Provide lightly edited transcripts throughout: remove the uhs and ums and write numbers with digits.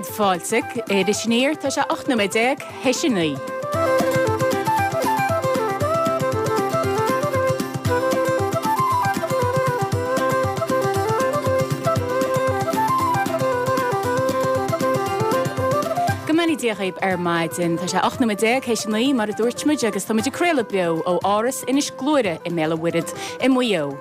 Céad fáilte Iris Aniar, tá sé 18 nóiméad théis a 9. Go mbeannaí Dia dhaoib ar maidin. Tá sé 18 nóiméad théis a 9 mar a dúirt muid agus tá muid ag craoladh beo ó Áras Inis Gluaire i mBéal an Mhuirthead i Maigh Eo.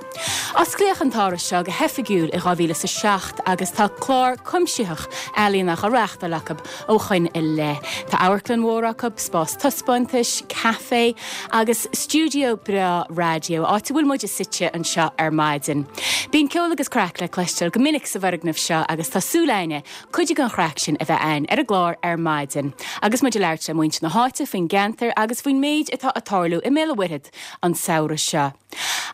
Osclaíodh an t-áras seo go hoifigiúil i 2007 agus tá clár cuimsitheach ealaíona á reáchtáil acu ó shoin i leith. Tá amharclann mhór acu, spás taispeántais, caife agus stiúideo breá raidió, áit a bhfuil muide suite anseo ar maidin. Bíonn ceol agus craic le cloisteáil go minic sa bhfoirgneamh seo agus tá súil a'inne cuid den chraic sin a bheith a'inn ar an gclár ar maidin agus muid ag labhairt le muintir na háite faoin gceantar agus faoin méid atá ag tarlú i mBéal an Mhuirthead an samhradh seo.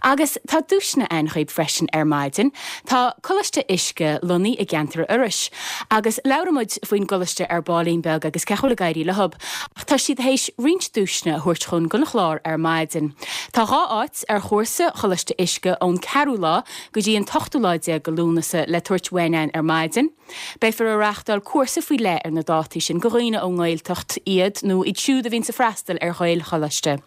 Agus tá duaiseanna a'inn dhaoib freisin ar maidin. Tá Coláiste Uisce lonnaithe i gceantar Iorrais agus labhróidh muid faoin gcoláiste ar baillín beag agus cén chaoi a bhfuil ag éirí leob. Ach tá siad théis roinnt duaiseanna a thabhairt chugainn don chlár ar maidin. Tá 2 áit ar chúrsa Choláiste Uisce ón ceathrú lá go dtí an t-ochtú lá déag de Lúnasa le tabhairt uainn a'inn ar maidin. Beifear ag reáchtáil cúrsa faoi leith ar na dátaí sin go dhaoine ón nGaeltacht iad nó iad siúd a bhíonns ag freastal ar Ghaelcholáiste.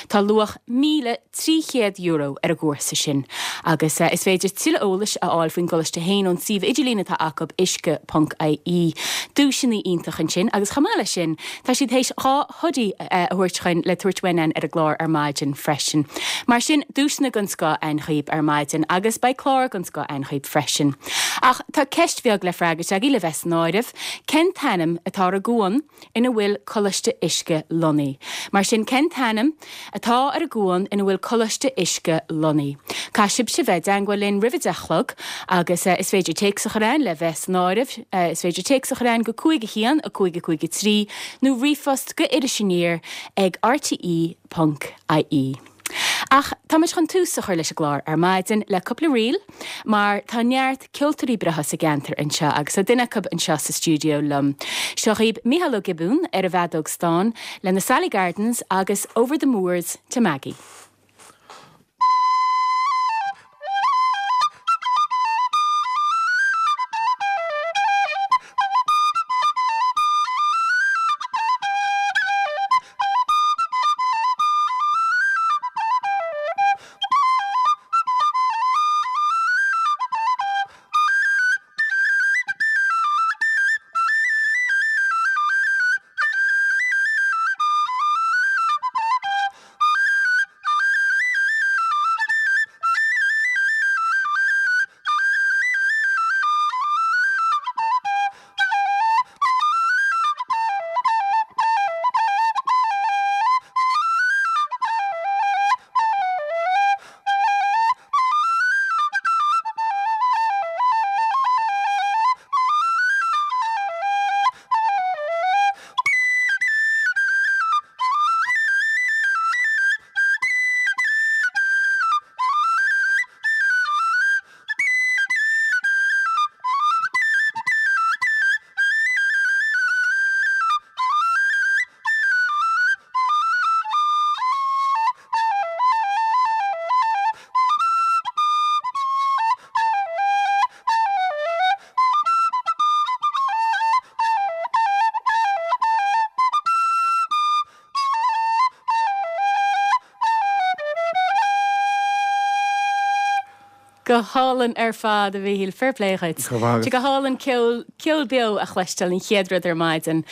Tá luach €1,300 ar an gcúrsa sin agus is féidir tuilleadh eolais a fháil faoin gcoláiste féin ón suíomh idirlín atá acu, uisce.ie. Duaiseanna iontach ansin agus chomh maith leis sin tá siad théis 2 hoodie a thabhairt chugainn le tabhairt uainn ar an gclár ar maidin freisin. Mar sin, duaiseanna den scoth a'inn dhaoib ar maidin agus beidh clár den scoth a'inn dhaoib freisin. Ach tá ceist bheag le freagairt agaibh le bheith san áireamh, cen t-ainm atá ar an gcuan ina bhfuil Coláiste Uisce lonnaithe? Mar sin, cen t-ainm atá ar an gcuan ina bhfuil Coláiste Uisce lonnaithe? Caithfidh sibhse bheith i dteangmháil linn roimh a deich a chlog agus is féidir téacs a chur a'inn le bheith san áireamh. Is féidir téacs a chur a'inn go 5 1 5 5 3 nó ríomhphost go irisaniar ag rte ponc ie. Ach táimid chun tús a chur leis an gclár ar maidin le cúpla ríl mar tá neart ceoltóirí breátha sa gceantar anseo agus tá duine acu anseo sa stiúideo liom. Seo dhaoib Mícheál Ó Giobúin ar an bhfeadóg stáin le na Sally Gardens agus Over the Moors to Maggie. Go hálainn ar fad, a Mhíchíl. Fair play dhuit. Go raibh maith agat. Go hálainn ceol, ceol beo a chloisteáil an chéad rud ar maidin.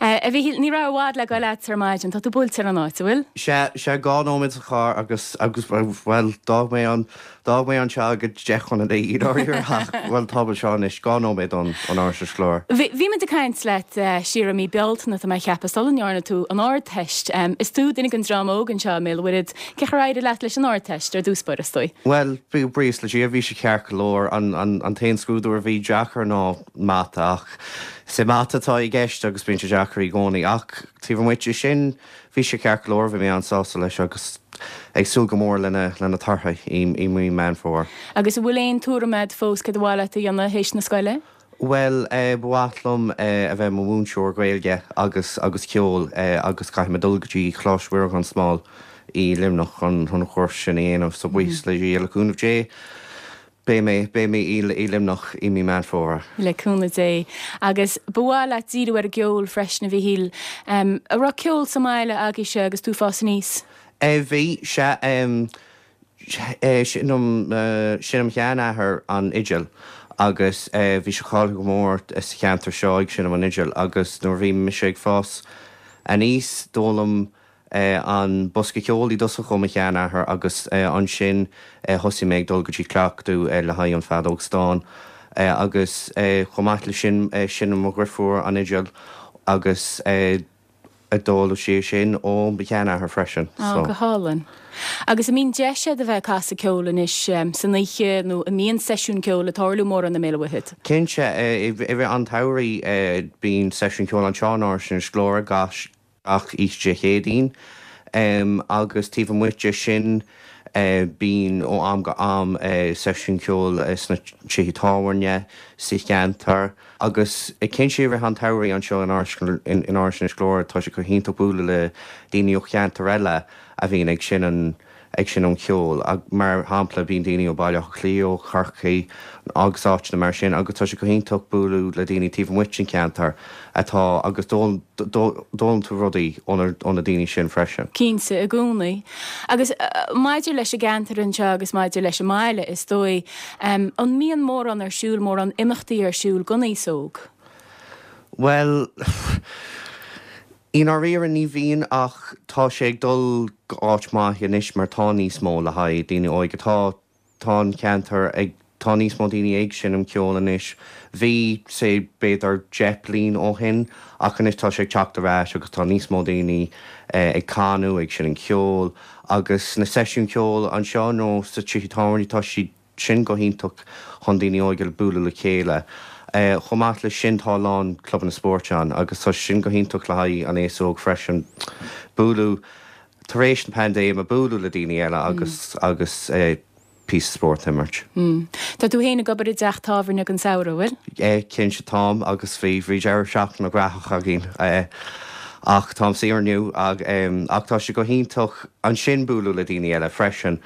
A Mhíchíl, ní raibh i bhfad le goil agat ar maidin. Tá tú buailte ar an áit, an bhfuil? Sea, sea, 2 nóiméad sa charr agus, agus, bhuel, d'fhág mé an, D'fhág mé anseo ag 9:50 i ndáiríre ach, bhuel, táim anseo anois, 2 nóiméad ón Áras Inis Gluaire. Bhí muid ag caint leat siar i mí Bealtaine, tá mé a cheapadh, sula ndearna tú an Ardteist. Is tú duine den dream óg anseo i mBéal an Mhuirthead. Cén chaoi ar éirigh leat leis an Ardteist, ar dtús báire, is dóigh? Bhuel, buíochas le Dia, bhí sé ceart go leor. An t-aon scrúdú a bhí deacair ná Mata ach is é Mata atá i gceist agus bíonn sé deacair i gcónaí. Ach taobh amuigh de sin, Bhí sé ceart go leor, bhí mé an-sásta leis agus ag súil go mór lena lena torthaí i mí Meán Fómhair. Agus an bhfuil aon tuairim agat fós céard ba mhaith leat a dhéanamh théis na scoile? Bhuel, ba mhaith liom a bheith i mo mhúinteoir Gaeilge agus agus ceoil agus caithfidh mé dul go dtí Coláiste Mhuire gan Smál i Luimneach chun an chúrsa sin a dhéanamh so buíochas le Dia, le cúnamh Dé. Beidh mé, beidh mé i Luimneach i mí Meán Fómhair. Le cúnamh Dé. Agus ba mhaith leat díriú ar an gceol freisin, a Mhíchíl. An raibh ceol sa mbaile agaibhse agus tú ag fás aníos? Bhí, sea. Seinneann mo sheanathair an fhidil agus bhí sé cáilithe go mór sa cheantar seo ag seinm an fhidil agus nuair a bhí mise ag fás aníos d'fhoghlaim an bosca ceoil i dtosach ó mo sheanathair agus ansin thosaigh mé ag dul go dtí cleachtadh le haghaidh an feadóg stáin agus chomh maith le sin seinneann mo dhrifiúr an fhidil agus d'fhoghlaim sí é sin ó mo sheanathair freisin. Á, go hálainn. Agus an mbíonn deis agat a bheith ag casadh ceoil anois san oíche nó an mbíonn seisiún ceoil ag tarlú mórán i mBéal an Mhuirthead? Cinnte, i rith an tsamhraidh bíonn seisiún ceoil anseo in Áras Inis Gluaire gach gach oíche Dé Céadaoin agus taobh amuigh de sin bíonn ó am go am seisiúin ceoil sna tithe tábhairne sa cheantar agus cinnte i rith an tsamhraidh anseo in Áras Inis Gluaire tá sé go hiontach bualadh le daoine ó cheantair eile a bhíonn ag seinm ag seinm ceoil. Mar shampla, bíonn daoine ó Bhaile Átha Cliath, ó Chorcaigh agus áiteanna mar sin agus tá sé go hiontach bualadh le daoine taobh amuigh den cheantar atá agus d'fhoghlaim tú rudaí ó na daoine sin freisin. Cinnte, i gcónaí. Agus maidir leis an gceantar anseo agus maidir leis an mbaile, is dóigh, an mbíonn mórán ar siúl, mórán imeachtaí ar siúl don aos óg? Bhuel, I ndáiríre ní bhíonn ach tá sé ag dul go áit maith anois mar tá níos mó le haghaidh daoine óige. Tá, tá an ceantar ag, tá níos mó daoine ag seinm ceoil anois. Bhí, say, b'fhéidir 10 bliain ó shin ach anois tá sé ag teacht ar ais agus tá níos mó daoine ag canadh, ag seinm ceoil agus na seisiúin ceoil anseo nó sa tithe tábhairne tá siad sin go hiontach chun daoine óga bualadh le chéile. Chomh maith leis sin tá a lán clubanna spóirt ann agus tá sin go hiontach le haghaidh an aos óg freisin bualadh tar éis na paindéime bualadh le daoine eile agus agus píosa spóirt a imirt. Tá tú féin ag obair i dteach tábhairne don samhradh, an bhfuil? Cinnte táim agus bhí bhí deireadh seachtaine graitheach againn ach táim saor inniu ach tá sé go hiontach ansin bualadh le daoine eile freisin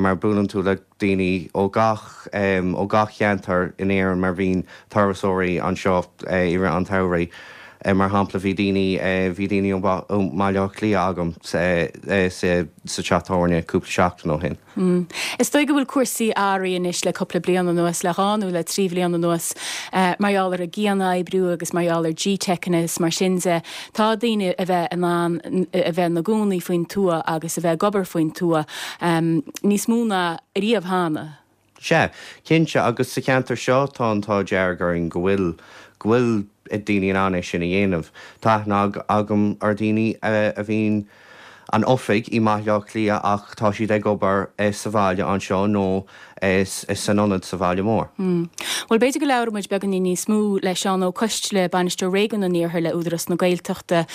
mar buaileann tú le daoine ó gach ó gach cheantar in Éirinn mar bhíonn turasóirí anseo i rith an tsamhraidh. Mar shampla bhí daoine bhí daoine ó mBaile Átha Cliath agam sa sa teach tábhairne cúpla seachtain ó shin. Is dóigh go bhfuil cúrsaí athraithe anois le cúpla bliain anuas, le dhá nó le trí bhliain anuas, mar gheall ar an gcianoibriú agus mar gheall ar GTeiceanna is mar sin de. Tá daoine a bheith in ann a bheith ina gcónaí faoin tuath agus a bheith ag obair faoin tuath níos mó ná ariamh cheana. Sea, cinnte, agus sa cheantar seo tá an t-ádh dearg orainn go bhfuil, go bhfuil daoine in ann é sin a dhéanamh. Tá aithne agam ar dhaoine a bhíonn an oifig i mBaile Átha Cliath ach tá siad ag obair sa bhaile anseo nó san ionad sa bhaile mór. Bhuel, b'fhéidir go labhróidh muid beagáinín níos mó le Seán Ó Coisdealbha, Bainisteoir Réigiún an Iarthair le Údarás na Gaeltachta,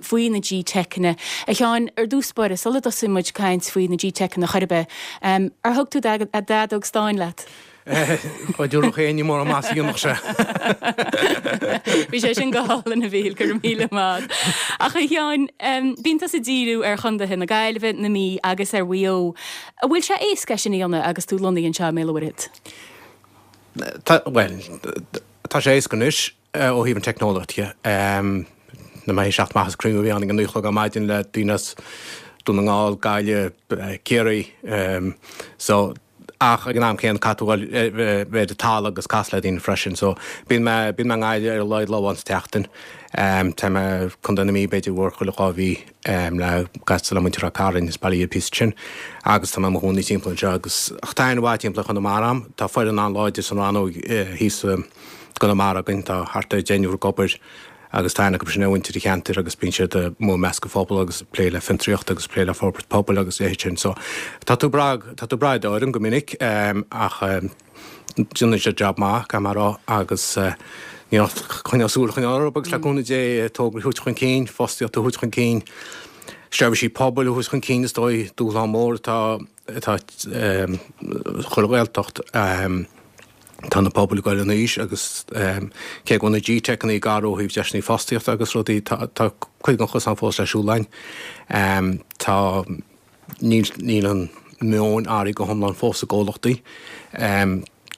faoi na GTeiceanna. A Sheáin, ar dtús báire, sula dtosaíonn muid ag caint faoi na GTeiceanna chor ar bith, ar thug tú d'fheadóg stáin leat? Dá dtabharfadh éinne mórán maitheasa a dhéanfadh sé. Bhí sé sin go hálainn, a Mhíchíl, go raibh míle maith. Ach a Sheáin, bíonn tusa ag díriú ar chontaetha na Gaillimhe, na Mí agus ar Mhaigh Eo. An bhfuil sé éasca é sin a dhéanamh agus tú lonnaithe anseo i mBéal an Mhuirthead? Tá, bhuel, tá sé éasca anois ó thaobh an teicneolaíocht dhe. Na mé ag teacht amach as cruinniú a bhí ann ag a 9 a chlog ar maidin le daoine as Dún na nGall, Gaillimh, Ciarraí. So, ach ag an am céanna caithfidh tú a dhul bheith ar an talamh agus casadh le daoine freisin. So, bíonn mé, bíonn mé i nGaillimh ar a laghad lá amháin sa tseachtain. Tá mé i Contae na Mí b'fhéidir uair chuile dhá mhí. le casadh le muintir Ráth Cairn is baile píosa sin agus tá mé i mo chónaí timpeall anseo agus ach tá aithne mhaith timpeall ar Chonamara a'm. Tá foireann an-láidir san rannóg thíos i gConamara againn, tá thart ar deichniúr ag obair agus tá aithne acu sin ar mhuintir an cheantair agus bíonn siad amuigh i measc an phobail agus ag plé le fiontraíocht agus ag plé le forbairt pobail agus a leithéid sin. So tá tú ag brath, tá tú ag brath ar d'fhoireann go minic ach Déanann siad jab maith, caithfidh mé a rá, agus níl ach coinneáil súil a choinneáil orthu agus le cúnamh Dé tograí a thabhairt chun cinn, fostaíocht a thabhairt chun cinn, seirbhísí pobail a thabhairt chun cinn is dóigh, dúshlán mór atá atá chuile Ghaeltacht. Tá na pobail ag dul in aois agus cé go bhfuil na GTeiceanna ag athrú ó thaobh deiseanna fostaíochta agus rudaí, tá cuid den chosán fós le siúl againn. Tá. Níl, níl an. meoin athraithe go hiomlán fós i gcomhlachtaí.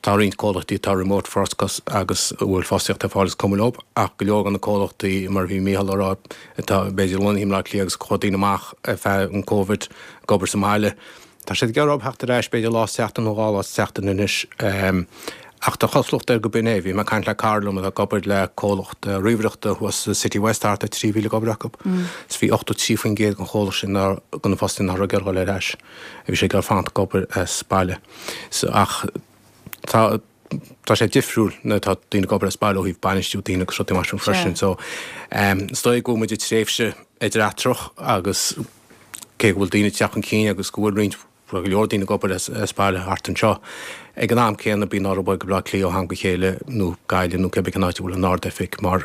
Tá roinnt comhlachtaí atá remote first agus a bhfuil fostaíocht ar fáil is cuma leo, ach go leor de na comhlachtaí, mar a bhí Mícheál a rá, atá b'fhéidir lonnaithe i mBleá Cliath agus chuaigh daoine amach ar feadh an Covid ag obair sa mbaile, tá siad ag iarraidh theacht ar ais b'fhéidir lá sa tseachtain nó dhá lá sa tseachtain anois. Ach tá cosúlacht air go b'in é. Bhí mé ag caint le cara liom atá ag obair le comhlacht ríomhaireachta thuas sa City West, thart ar 3,000 ag obair acu. Is bhí 83% den chomhlacht sin, de na fostaithe nach raibh ag iarraidh dul ar ais. Bhí siad ag iarraidh fanacht ag obair as baile. So, ach tá, tá sé difriúil nuair atá daoine ag obair as baile ó thaobh bainistiú daoine agus rudaí mar sin freisin. So, is dóigh go bhfuil muid i dtréimhse idir-eatarthach agus cé go bhfuil daoine ag teacht chun cinn agus go bhfuil roinnt, go leor daoine ag obair as baile thart anseo, ag an am céanna bíonn orthu dul go Baile Átha Cliath ó am go chéile nó Gaillimh nó cébí cén áit a bhfuil an ard-oifig mar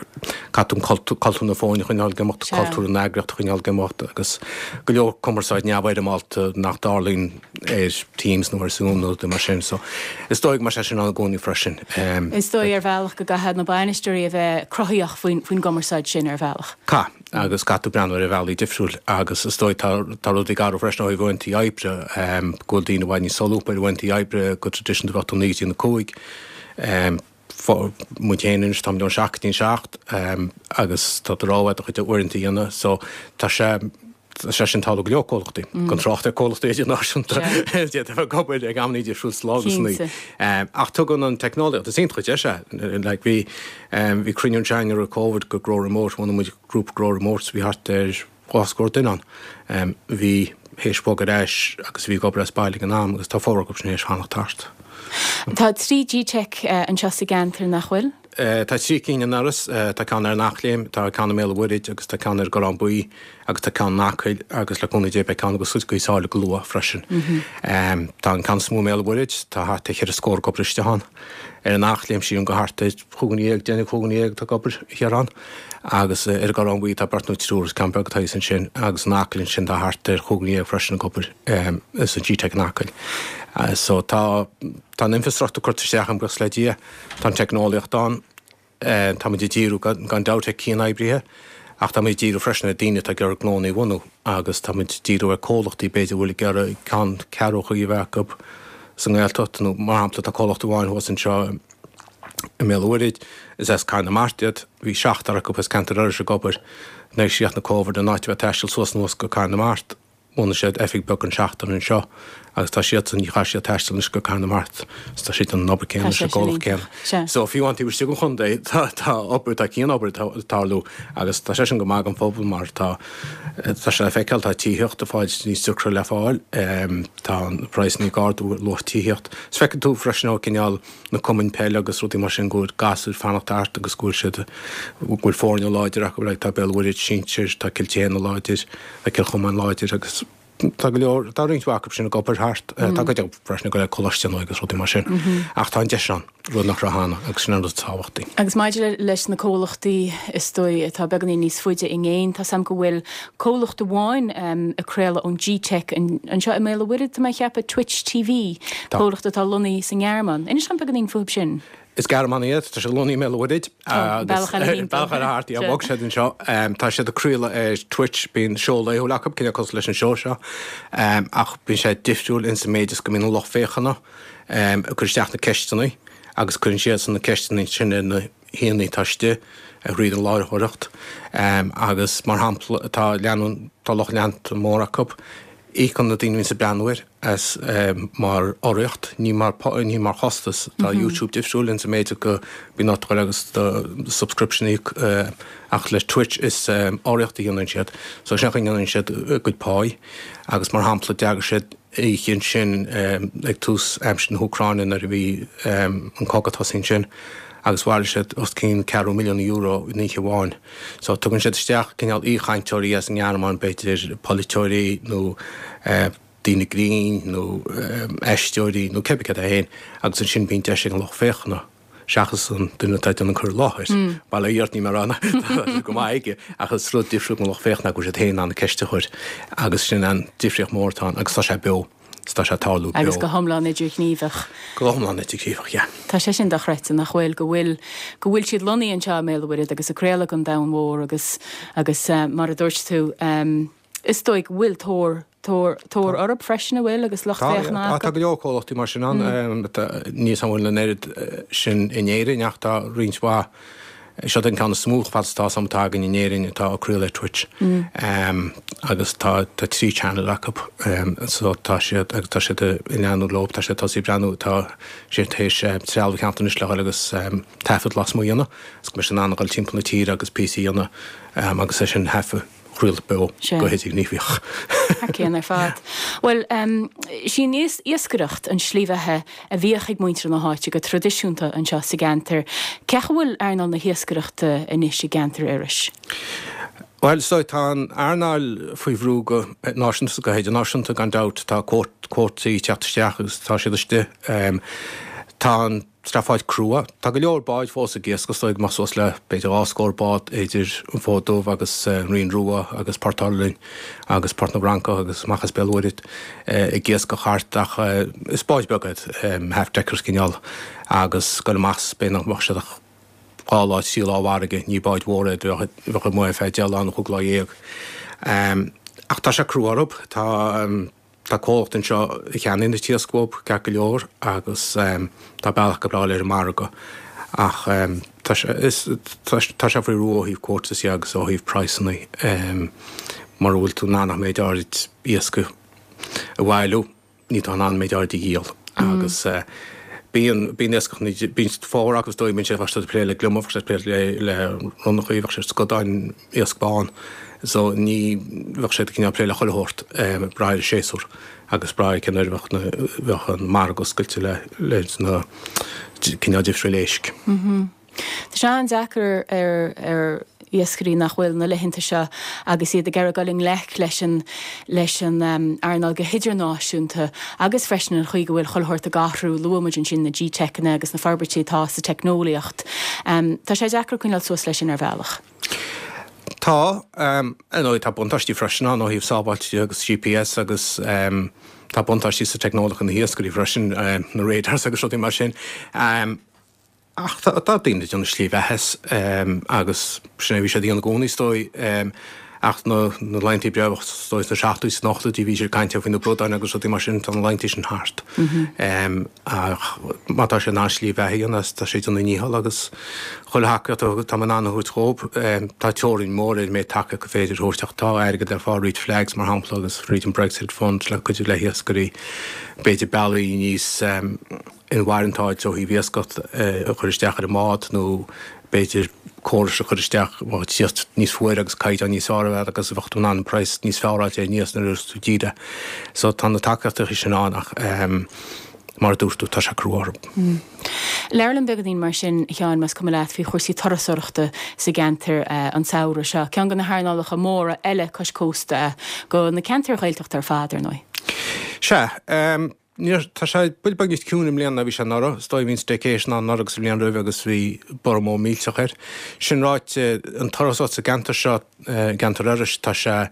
caithfidh tú an cultúr na foirne a choinneáil ag imeacht, cultúr na heagraíochta a choinneáil ag imeacht agus go leor cumarsáid neamhfhoirmeálta nach dtarlaíonn ar Teams nó ar Zoom nó rudaí mar sin. So is dóigh go mbeidh sé sin ann i gcónaí freisin. Is dóigh ar bhealach go gcaithfidh na bainisteoirí a bheith cruthaitheach faoin faoin gcumarsáid sin ar bhealach. Caithfidh, agus caithfidh tú breathnú ar bhealaí difriúil agus is dóigh tá tá rudaí ag athrú freisin ó thaobh uaireanta oibre, go bhfuil daoine i bhfad níos solúbtha ar uaireanta oibre go traidisiúnta bheadh tú 9 go dtí a 5. Muid féin anois táimid ón 7 go dtí an 7 agus tá do rogha do chuid uaireanta a dhéanamh so tá sé Tá sé sin ag tarlú go leor comhlachtaí, gan trácht ar comhlachtaí idirnáisiúnta a d'fhéadfadh a bheith ag obair ag amanna difriúil sa lá agus san oíche. Ach tugann an teicneolaíocht, is iontach an deis é. Like bhí, bhí cruinniú anseo againn roimh Covid go Grow Remote, bhunaigh muid grúpa Grow Remote so bhí thart ar dhá scór duine ann. Bhí théis bogadh ar ais agus bhí ag obair as baile ag an am agus tá formhór acu sin théis fanacht thart. Tá 3 Gteic anseo sa gceantar, nach bhfuil? Tá 3 cinn in Iorras, tá ceann ar an Eachléim, tá ceann i mBéal an Mhuirthid agus tá ceann ar an gCorrán Buí agus tá ceann in Acaill agus le cúnamh Dé beidh ceann ag oscailt i gCoill Sáile go luath freisin. Tá an ceann is mó i mBéal an Mhuirthid, tá thart ar cheithre scór ag obair istigh ann. Ar an Eachléim sílim gur thart ar chúigear dhéag, deichniúr cúigear dhéag atá ag obair thiar ann agus ar an gCorrán Buí tá beirt nó triúr, is ceann beag atá thíos ansin agus in Acaill ansin tá thart ar chúigear dhéag freisin ag obair sa Gteic in Acaill. So tá tá an infrastruchtúr curtha isteach againn buíochas le Dia. Tá an teicneolaíocht ann. Táimid ag díriú gan dabht ar cian-oibrithe ach táimid ag díriú freisin ar daoine atá ag iarraidh gnónna a bhunú agus táimid ag díriú ar comhlachtaí b'fhéidir a bhfuil ag iarraidh ceann ceathrúchaí a bheith acu sa nGaeltacht nó mar shampla tá comhlacht amháin thuas anseo i mBéal an Mhuirthid, is as Cathair na Mart iad, bhí seachtar acu as ceantar Iorrais ag obair nuair a chríochnaigh Covid in áit a bheith ag taisteal suas anuas go Cathair na Mart. Bhunaigh siad oifig beag don seachtar anseo agus tá siadsan, ní chaithfidh siad taisteal anois go Cathair na Mart is tá siad ag déanamh an obair céanna leis an gcomhlacht céanna. So fiú amháin taobh istigh den chontae tá tá obair, tá cian-obair ag tarlú agus tá sé sin go maith don phobal mar tá tá sé le feiceáil, tá tithíocht ag fáil níos deacra le fáil, tá an praghsanna ag ardú ar luach tithíocht. Is feiceann tú freisin ó cineál na cumainn peile agus rudaí mar sin go bhfuil gasúir fanacht thart agus go bhfuil siad, go bhfuil foirne láidir acu, like tá Béal Mhuirthid sinsir, tá Cill tSéadhna láidir, tá Cill Chomáin láidir agus tá go leor, tá roinnt mhaith acu sin ag obair thart, tá cuid acu freisin ag dul ar coláiste nó agus rudaí mar sin. Ach tá an deis ann, rud nach raibh cheana agus sin an rud is tábhachtaí. Agus maidir leis na comhlachtaí is dóigh atá beagáinín níos faide i gcéin, tá 's a'm go bhfuil comhlacht amháin ag craoladh ón Gteic anseo i mBéal an Mhuirthead, tá mé ag ceapadh, Twitch TV, comhlacht atá lonnaithe sa nGearmáin. Inis dom beagáinín fúthu sin. Is Gearmánaigh iad, tá siad lonnaithe i mBéal an Mhuirthead agus bealach eile thimpeall. Bealach eile thart, yeah, bhog siad anseo. Tá siad ag craoladh ar Twitch, bíonn seó laethúil acu, cineál cosúil leis an seó seo, ach bíonn sé difriúil ins an méid is go mbíonn an lucht féachana ag cur isteach na ceisteanna agus cuireann siadsan na ceisteanna sin ar na haíonna atá istigh thríd an láithreoireacht agus mar shampla tá leanúint, tá lucht leanta mór acu, íocann na daoine a bhíonns ag breathnú air as mar urraíocht, ní mar, ní mar chostas. Tá YouTube difriúil ins an méid go mbíonn ort dul agus do subscription a íoc ach le Twitch is urraíocht a dhéanann siad. So sin an chaoi a ndéanann siad a gcuid páí agus mar shampla d'eagraigh siad oíche ansin ag tús aimsir na hÚcráine nuair a bhí an cogadh ag tosaí ansin agus bhailigh siad os cionn ceathrú milliún euro in oíche amháin. So tugann siad isteach cineál aoichainteoirí as an nGearmáin, b'fhéidir polaiteoirí nó daoine grinn nó aisteoirí nó cébí céard é féin agus ansin bíonn deis ag an lucht féachana seachas an duine atá ag déanamh an cur i láthair. Bail ó Dhia ort, níl mé ag rá nach tá sé go maith aige, ach is rud difriúil don lucht féachana go bhfuil siad féin in ann an ceist a chur agus sin an difríocht mhór atá ann agus tá sé beo, is tá sé ag tarlú beo. Agus go hiomlán idirghníomhach. Go hiomlán idirghníomhach, yeah. Tá sé sin dochreidte, nach bhfuil, go bhfuil, go bhfuil siad lonnaithe anseo i mBéal an Mhuirthead agus ag craoladh don domhan mhór agus, agus mar a dúirt tú, Is dóigh go bhfuil tóir, tóir, tóir orthu freisin, an bhfuil, agus lucht féachana acu? Tá go leor comhlachtaí mar sin ann. Níl a fhios agam an bhfuil an oiread sin in Éirinn ach tá roinnt mhaith. Seo an ceann is mó fad is atá a fhios agam atá againn in Éirinn atá ag craoladh ar Twitch. Agus tá 3 channel acu. So tá siad, agus tá siad ag leanúint leo, tá siad ag tosaí ag breathnú, tá siad tar éis trealamh a cheannacht anois le dhul agus taifead lasmuigh a dhéanamh, is go mbeidh siad in ann a dhul timpeall na tíre agus píosaí a dhéanamh agus é sin a thaifeadh. chraoladh beo go hidirghníomhach. Thar cionn ar fad. Bhuel, sí an iascaireacht an slí bheatha a bhíodh ag muintir na háite go traidisiúnta anseo sa gceantar. Cén chaoi a bhfuil earnáil na hiascaireachta anois i gceantar Iorrais? Bhuel, is dóigh, tá an earnáil faoi bhrú go náisiúnta is go hidirnáisiúnta gan dabht. Tá cuótaí ag teacht isteach agus tá siad istigh. Tá an. Streafáil crua. Tá go leor báid fós ag iascach, is dóigh go mbeadh suas le b'fhéidir 20 scór bád idir an Fód Dubh agus an Rinn Rua agus Port Uirlinn agus Port na bhFrancach agus amach as Béal Mhuirthead ag iascach thart ach is báid beaga iad, half deckers cineál, agus ag goil amach is b'fhéidir nach mbeadh siad ach 2 lá, 3 lá i bhfarraige, ní báid mhóra iad a bheadh amuigh ar feadh 10 lá nó 15 lá. Ach tá sé crua orthu, tá. Tá comhlacht anseo a cheannaíonn an t-iasc uathu ceart go leor agus tá bealach go breá ar an margadh ach tá sé tá sé faoi bhrú ó thaobh quotas dhe agus ó thaobh praghsanna. Mura bhfuil tú in ann ach méid áirid iasc a bhailiú níl tú in ann méid áirid a dhíol agus bíonn bíonn iascach bíonn fómhar acu is dóigh bíonn siad bheadh siad ag plé le gliomach bheadh siad ag plé le ronnachaí bheadh siad scadáin iasc bán so ní bheadh siad cineál plé le chuile shórt, ag brath ar an séasúr agus brath ar cén uair a bheadh na, bheadh an margadh oscailte le, leis na cineál difriúil éisc. Tá sé an-deacair ar, ar iascairí nach bhfuil na laethanta seo agus iad ag iarraidh dul i ngleic leis an, leis an earnáil go hidirnáisiúnta agus freisin an chaoi go bhfuil chuile shórt ag athrú, luaigh muid ansin na GTeiceanna agus na forbairtí atá sa teicneolaíocht. Tá sé deacair coinneáil suas leis sin ar bhealach. Tá, ar ndóigh tá buntáistí freisin ann ó thaobh sábháilte de agus GPS agus tá buntáistí sa teicneolaíocht do na hiascairí freisin, na radars agus rudaí mar sin. Ach tá daoine ag déanamh slí bheatha as agus sin é a bhí siad a dhéanamh i gcónaí is dóigh. Ach na laethanta breá is dóigh sna seachtóidí is sna hochtóidí bhí siad ag caint faoi na bradáin agus rudaí mar sin, tá na laethanta sin thart. Ach má tá sé in ann slí bheatha a dhéanamh as, tá sé ag déanamh a ndícheall agus chuile thacaíocht atá mé in ann a thabhairt dhóibh, tá teorainn mhór ar an méid tacaíocht gur féidir a thabhairt ach tá airgead ar fáil fríd FLAGS mar shampla agus fríd an Brexit Fund le cuidiú le hiascairí, b'fhéidir bealaí níos inmharthana ó thaobh iascach a chur isteach ar an mbád nó b'fhéidir córais a chur isteach a bheadh tíocht níos fuaire agus caighdeán níos fearr a bheith agus a bheadh tú in ann praghas níos fearr a fháilt ar an iasc nuair a tú ag díol é. So tá na tacaíochtaí sin ann ach mar a dúirt tú tá sé crua orthu. Labhair liom beagáinín mar sin, a Sheáin, más cuma leat, faoi chúrsaí turasóireachta sa gceantar an samhradh seo. Ceann de na hearnálacha móra eile cois cósta do na ceantair Ghaeltachta ar fad, ar ndóigh. Sea. Níor, tá sé buille beag níos ciúine i mbliana ná bhí sé anuraidh. Is dóigh bhí an staycation ann anuraidh agus an bhliain roimhe agus bhí borradh mór millteach air. Sin ráite, an turasóireacht sa gceantar seo, i gceantar Iorrais, tá sé,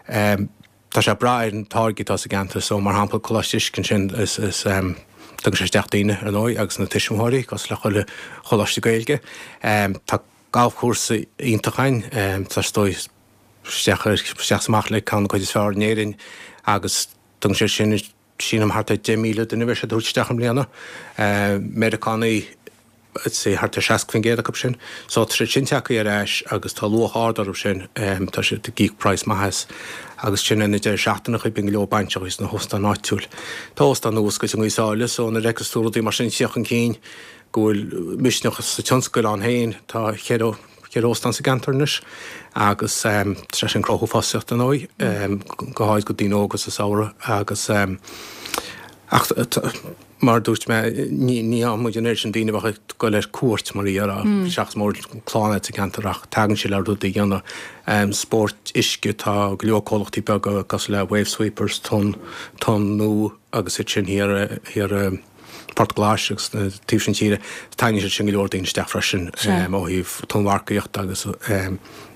tá sé ag brath ar na táirgí atá sa gceantar. So, mar shampla, Coláiste Uisce ansin, is, is, tugann sé isteach daoine, ar ndóigh, agus na tuismitheoirí, cosúil le chuile choláiste Gaeilge. Tá galfchúrsa iontach againn, tá is dóigh isteach, isteach is amach le ceann de na cuid is fearr in Éirinn agus Tugann sé sin, sílim, thart ar 10,000 duine a bheidh siad a thabhairt isteach i mbliana. Meiriceánaigh, I'd say thart ar 60% acu sin. So tá siad sin tagtha ar ais agus tá luach ard orthu sin. Tá siad ag íoc praghas maith as. Agus sin ar na deireadh seachtaine, bíonn go leor bainseacha sna hóstáin áitiúil. Tá óstán nua oscailte i nGaoth Sáile so nuair a fheiceas tú rudaí mar sin ag tíocht chun cinn go bhfuil misneach sa tionscal ann féin, tá cheithre, 4 óstán sa gceantar anois agus tá sé sin ag cruthú fostaíocht ar ndóigh, go háirid do daoine óga sa samhradh agus ach mar a dúirt mé ní fhaigheann muid an oiread sin daoine a bheadh ag dul ar cuairt mar a déarfá seachas mura bhfuil clann agat sa gceantar ach tagann siad le rudaí a dhéanamh. Spóirt uisce, tá go leor comhlachtaí beaga cosúil le Wave Sweepers, Tonn, Tonn Nua agus iad sin thiar thiar i Port Glais agus na taobh sin tíre, tarraingíonn siad sin go leor daoine isteach freisin ó thaobh tonnmharcaíochta agus.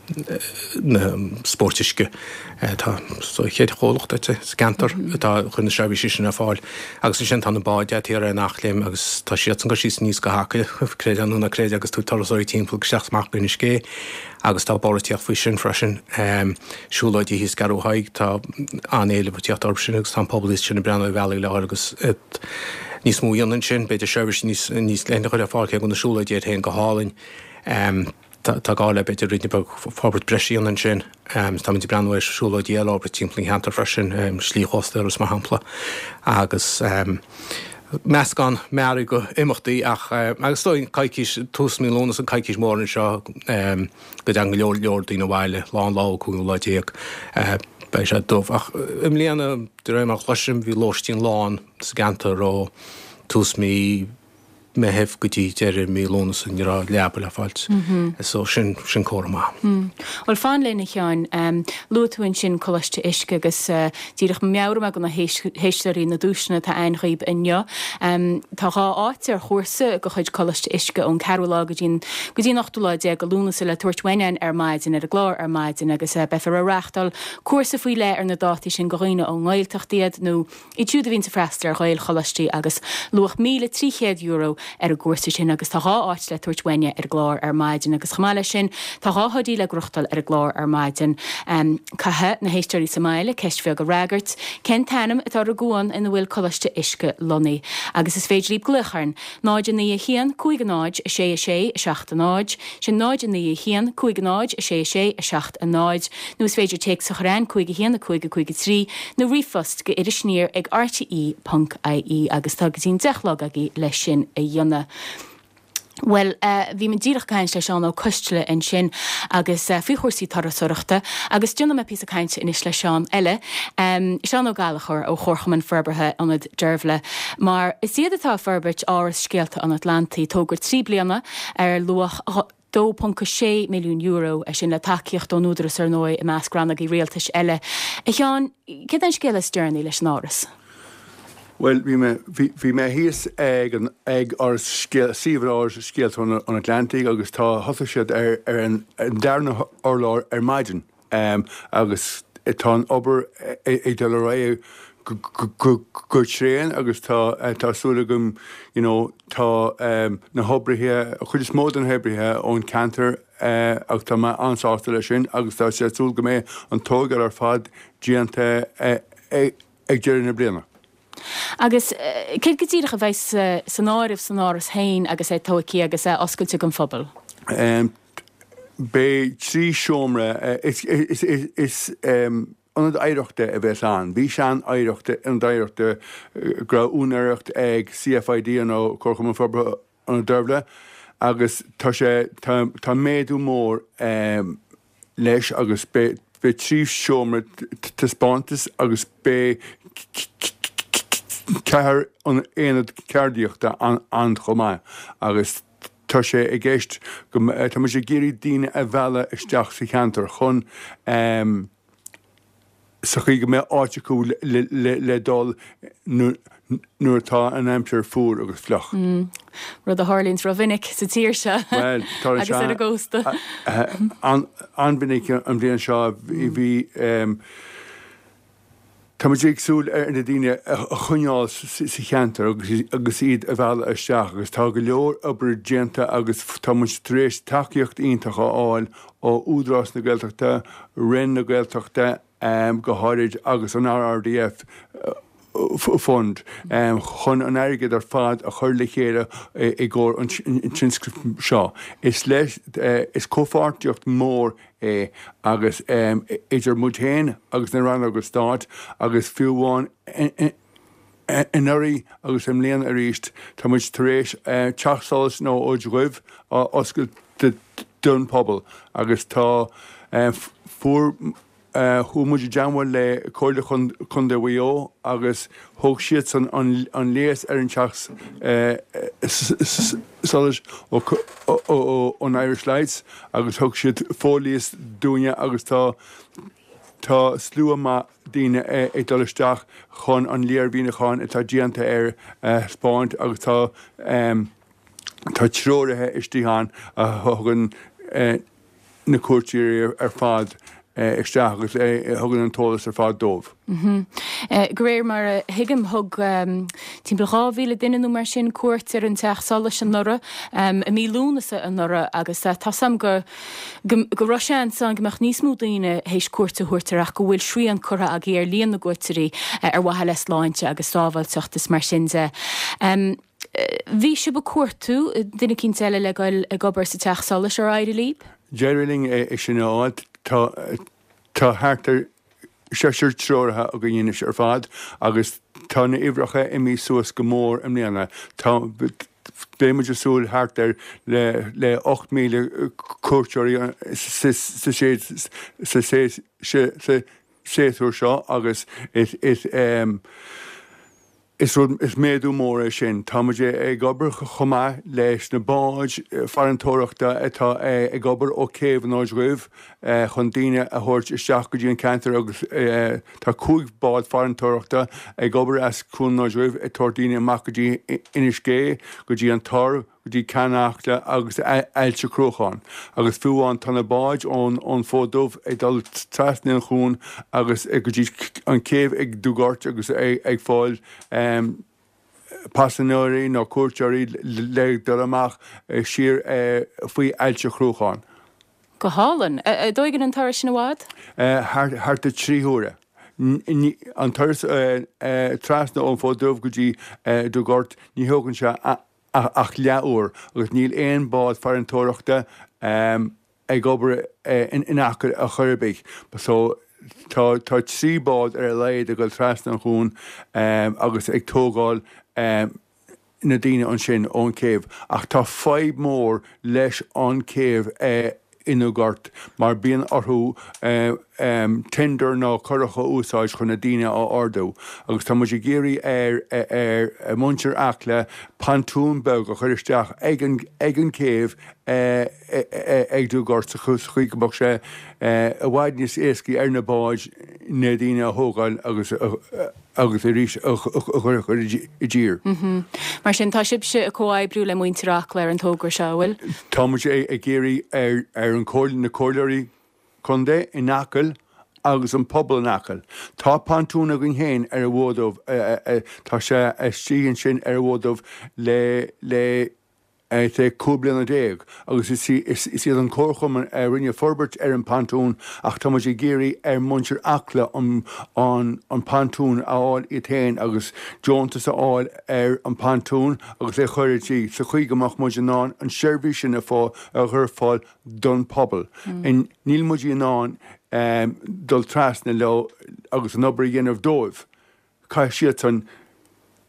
Na spóirt uisce. Tá sa chéad chomhlacht sa gceantar atá ag cur na seirbhísí sin ar fáil. Agus ansin tá na báid a'd thiar ar an Eachléim agus tá siadsan ag dul síos aníos go hAcaill, creid é nó ná creid, agus tabhairt turasóirí timpeall agus isteach is amach go Inis Gé agus tá borradh ag tíocht faoi sin freisin. Siúlóidí thíos i gCeathrú Thaidhg, tá an-éileamh ag tíocht orthu sin agus tá an pobal thíos ansin ag breathnú ar bhealaí le dhul agus níos mó a dhéanamh ansin, b'fhéidir seirbhísí níos níos leithne a chur ar fáil cé go bhfuil na siúlóidí iad féin go hálainn. Tá gá le b'fhéidir ruainne beag forbairt breise a dhéanamh ansin. Táimid ag breathnú ar siúlóidí eile a fhorbairt timpeall an cheantair freisin, Slí Chósta Iorrais mar shampla, agus meascán mearaí go imeachtaí ach agus is dóigh coicís, tús mí Lúnasa an coicís mhór anseo go dtagann go leor leor daoine abhaile, lá an lá an cúigiú lá déag, beidh sé dubh. Ach i mbliana, de réir mar a chloisim, bhí lóistín lán sa gceantar ó tús mí Meitheamh go dtí deireadh mí Lúnasa ní raibh leaba le fáilt. So sin, sin comhartha maith. Bhuel, fan linn, a Sheáin. Luaigh tú ansin Coláiste Uisce agus díreach meabhróidh mé do na héisteoirí na duaiseanna atá ann dhaoib inniu. Tá 2 áit ar chúrsa de chuid Coláiste Uisce ón ceathrú lá go dtí an go dtí an ochtú lá déag de Lúnasa le tabhairt uainn ar maidin ar an gclár ar maidin agus beifear ag reáchtáil cúrsa faoi leith ar na dátaí sin do dhaoine ón nGaeltacht iad nó Iad siúd a bhíonns ag freastal ar Ghaelcholáistí agus luach €1,300 ar an gcúrsa sin agus tá 2 áit le tabhairt uainne ar an gclár ar maidin agus chomh maith leis sin tá 2 hoodie le gnóthachtáil ar an gclár ar maidin. Caithfidh na héisteoirí sa mbaile ceist bheag a fhreagairt, cén t-ainm atá ar an gcuan ina bhfuil Coláiste Uisce lonnaithe? Agus is féidir libh glaoch orainn, 0 9 1 5 0 6 6 7 0, sin 0 9 1 5 0 6 6 7 0, nó is féidir téacs a chur chugainn, 5 1 5 5 3, nó ríomhphost go irisaniar ag rte ponc ie agus tá go dtí an 10 a chlog agaibh leis sin a dhéanamh. Bhuel, bhí mé díreach ag caint le Seán Ó Coisteala ansin agus faoi chúrsaí turasóireachta agus déanfaidh mé píosa cainte anois le Seán eile, Seán Ó Gallchóir ó Chomharchumann Forbartha Ionad Deirbhile, mar is iad atá ag forbairt Áras Scéalta an Atlantaigh, togra 3 bliana ar luach €2.6 milliún, é sin le tacaíocht ón Údarás ar ndóigh, i measc rannógaí rialtais eile. A Sheáin, céard é an scéal is deireanaí leis an Áras? Bhuel, bhí mé, bhí mé thíos ag an, ag Áras Scéal, suíomh Áras Scéalta an Atlantaigh agus tá, thosaigh siad ar, ar an darna hurlár ar maidin. Agus tá an obair ag dul ar aghaidh go tréan agus tá tá súil agam you know tá na hoibrithe, an chuid is mó de na hoibrithe ón cheantar agus tá mé an-sásta leis sin agus tá sé súil go mbeidh an tógáil ar fad déanta ag deireadh na bliana. Agus céard go díreach a bheidh san áireamh san áras féin agus é tógtha agus é oscailte don phobal? Beidh 3 seomra, is ionad oidhreachta a bheas ann. Bhí sean oidhreachta, ionad oidhreachta go raibh úinéireacht ag CFID nó Comharchumann Forbartha Ionad Deirbhile agus tá sé, tá méadú mór leis agus beidh 3 seomra taispeántais agus beidh 4 aonad ceardaíochta ann chomh maith agus Tá sé i gceist go, tá muid ag iarraidh daoine a mhealladh isteach sa cheantar chun, sa chaoi go mbeadh áit acu le dul nuair atá an aimsir fuar agus fliuch. Rud a tharlaíonns rómhinic sa tír seo agus ar an gcósta. An-mhinic an bhliain seo bhí. Tá muid ag súil ar na daoine a choinneáil sa cheantar agus iad a mhealladh isteach agus tá go leor obair déanta agus tá muid tar éis tacaíocht iontach a fháil ó Údarás na Gaeltachta, Roinn na Gaeltachta go háirid agus an RRDF Fund chun an airgead ar fad a chur le chéile i gcomhair an tionscnaimh seo. Is leis, is comhpháirtíocht mhór é agus idir muid féin agus na rannóga stáit agus fiú amháin anuraidh agus i mbliana arís tá muid tar éis Teach Solais na Dhuibh a oscailt don phobal agus tá fuair Chuaigh muid i dteangmháil le Comhairle Contae Mhaigh Eo agus thóg siadsan an léas ar an teach solais ón Irish Lights agus thug siad fo-léas dúinne agus tá tá slua maith daoine ag dul isteach chun an léirmhíniúchán atá déanta air a thaispeáint agus tá tá treoraithe istigh ann a thugann. na cuairteoirí ar fad isteach agus a thugann an t-eolas ar fad dóibh. De réir mar a thuigim, thug timpeall 2,000 duine nó mar sin cuairt ar an Teach Solais anuraidh, i mí Lúnasa anuraidh, agus tá 's a'm go go raibh seans ann go mbeadh níos mó daoine théis cuairt a thabhairt air ach go bhfuil srian curtha agaibh ar líon na gcuairteoirí ar mhaithe le sláinte agus sábháilteacht is mar sin de. Bhí sibh ag cuartú duine eicínt eile le goil ag obair sa Teach Solais, ar éirigh libh? D'éirigh linn é sin a fháil. Tá tá thart ar seisear treoraithe againn anois ar fad agus tá na huimhreacha imithe suas go mór i mbliana. Tá beidh muid ag súil thart ar le le 8,000 cuairteoirí sa sa sa sa séasúr seo agus is is Is rud, is méadú mór é sin. Tá muid ag obair chomh maith leis na báid farantóireachta atá ag obair ó céibh an Fhóid Dhuibh chun daoine a thabhairt isteach go dtí an ceantar agus tá 5 bád farantóireachta ag obair as Cuan an Fhóid Dhuibh ag tabhairt daoine amach go dtí Inis Gé, go dtí an Tor, go dtí Ceann Acla agus Aillte Cruachan agus fiú amháin tá na báid ón ón Fód Dubh ag dul trasna an chuan agus go dtí an céibh ag Dugort agus ag fáil paisinéirí nó cuairteoirí le dul amach siar faoi Aillte Chruacháin. Go hálainn. An dtóigeann an turas sin i bhfad? Thart ar 3 huaire. An turas trasna ón Fód Dubh go dtí Dugort ní thógann sé ach leathuair agus níl aon bád farantóireachta ag obair in Acaill ar chor ar bith. So tá tá 3 bád ar a laghad ag dul trasna an chuain agus ag tógáil na daoine ansin ón céibh. Ach tá fadhb mór leis an céibh i nDugort mar bíonn orthu tender nó curach a úsáid chun na daoine a ardú agus tá muid ag iarraidh ar ar muintir Acla pontún beag a chur isteach ag an ag an céibh ag Dugort sa chaoi go mbeadh sé i bhfad níos éascaí ar na báid na daoine a thógáil agus agus arís a chur i dtír. Mar sin, tá sibhse ag comhoibriú le muintir Acla ar an togra seo, an bhfuil? Tá muid ag iarraidh ar an na comhairleoirí contae in Acaill agus an pobal in Acaill. Tá pontún againn féin ar an bhFód Dubh, tá sé istigh ansin ar an bhFód Dubh le le sé 15 bliana agus is iad an Comharchumann a rinne forbairt ar an bpontún ach tá muid ag iarraidh ar muintir Acla an an pontún a fháil iad féin agus deontas a fháil ar an bpontún agus é a chur i dtír sa chaoi go mbeadh muid in ann an seirbhís sin a chur ar fáil don pobal. Níl muid in ann dul trasna leo agus an obair a dhéanamh dóibh. Caithfidh siadsan,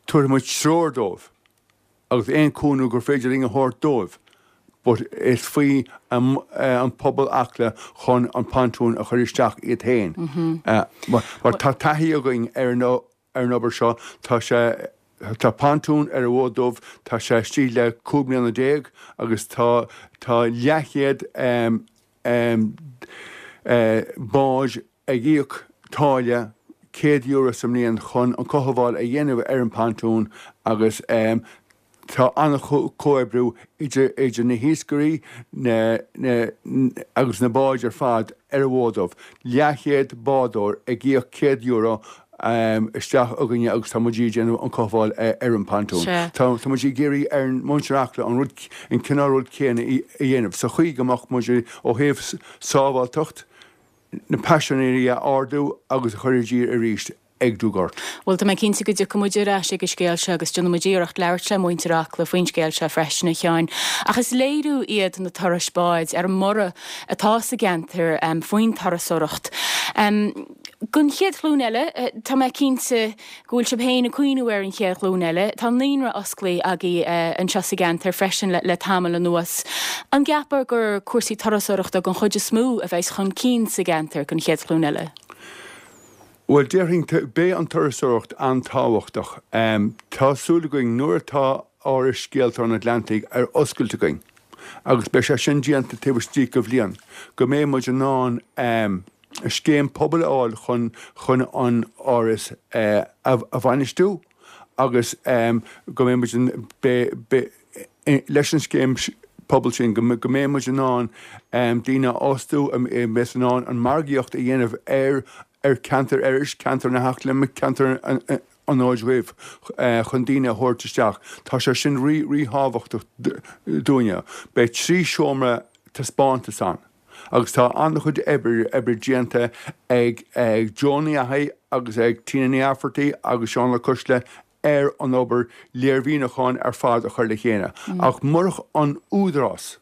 tabharfaidh muid treoir dóibh. agus aon cúnamh gur féidir linn a thabhairt dóibh but is faoi an pobal Acla chun an pontún a chur isteach iad féin. Mar tá taithí againn ar an ar an obair seo, tá sé tá pontún ar an bhFód Dubh, tá sé istigh le 15 mbliana agus tá tá leathchéad bád ag íoc táille €100 sa mbliain chun an cothabháil a dhéanamh ar an bpontún agus tá an-chomhoibriú idir na hiascairí agus na báid ar fad ar an bhFód Dubh. Leathchéad bádóir ag íoc €100 isteach againne agus tá muid ag déanamh an cothabháil ar an bpontún. Tá muid ag iarraidh ar muintir Acla an rud, an cineál rud céanna a dhéanamh sa chaoi go mbeadh muid ó thaobh sábháilteacht na paisinéirí a ardú agus a chur i dtír arís ag Dugort. Bhuel, tá mé cinnte go dtiocfaidh muid ar ais ag an scéal seo agus déanfaidh muid iarracht labhairt le muintir Acla faoin scéal seo freisin, a Sheáin. Ach is léiriú iad na turais báid ar an mborradh atá sa gceantar faoin turasóireacht. Don chéad ghlúin eile, tá mé cinnte go bhfuil sibh féin ag cuimhniú ar an chéad ghlúin eile. Tá naíonra osclaithe agaibh anseo sa gceantar freisin le tamall anuas. An gceapfá gur cúrsaí turasóireachta den chuid is mó a bheas chun cinn sa gceantar don chéad ghlúin eile? Bhuel, déarfainn, beidh an turasóireacht an-tábhachtach. Tá súil againn nuair atá Áras Scéalta an Atlantaigh ar oscailt againn, agus beidh sé sin déanta taobh istigh de bhliain, go mbeidh muid in ann scéim pobail a fháil chun chun an áras a bhainistiú agus go mbeidh muid in leis an scéim. pobal sin, go mbeidh muid in ann daoine a fhostú, a mbeas in ann an margaíocht a dhéanamh ar ar cheantar Iorrais, ceantar na hEachléime, ceantar an Fhóid Dhuibh chun daoine a thabhairt isteach. Tá sé sin rí ríthábhachtach dúinne. Beidh 3 seomra taispeántais ann agus tá an-chuid oibre oibre déanta ag Joan Ní Fhathaigh agus ag Tina Ní Fhaifeartaigh agus Seán Ó Coisle ar an obair léirmhíniúcháin ar fad a chur le chéile. Ach murach an Údarás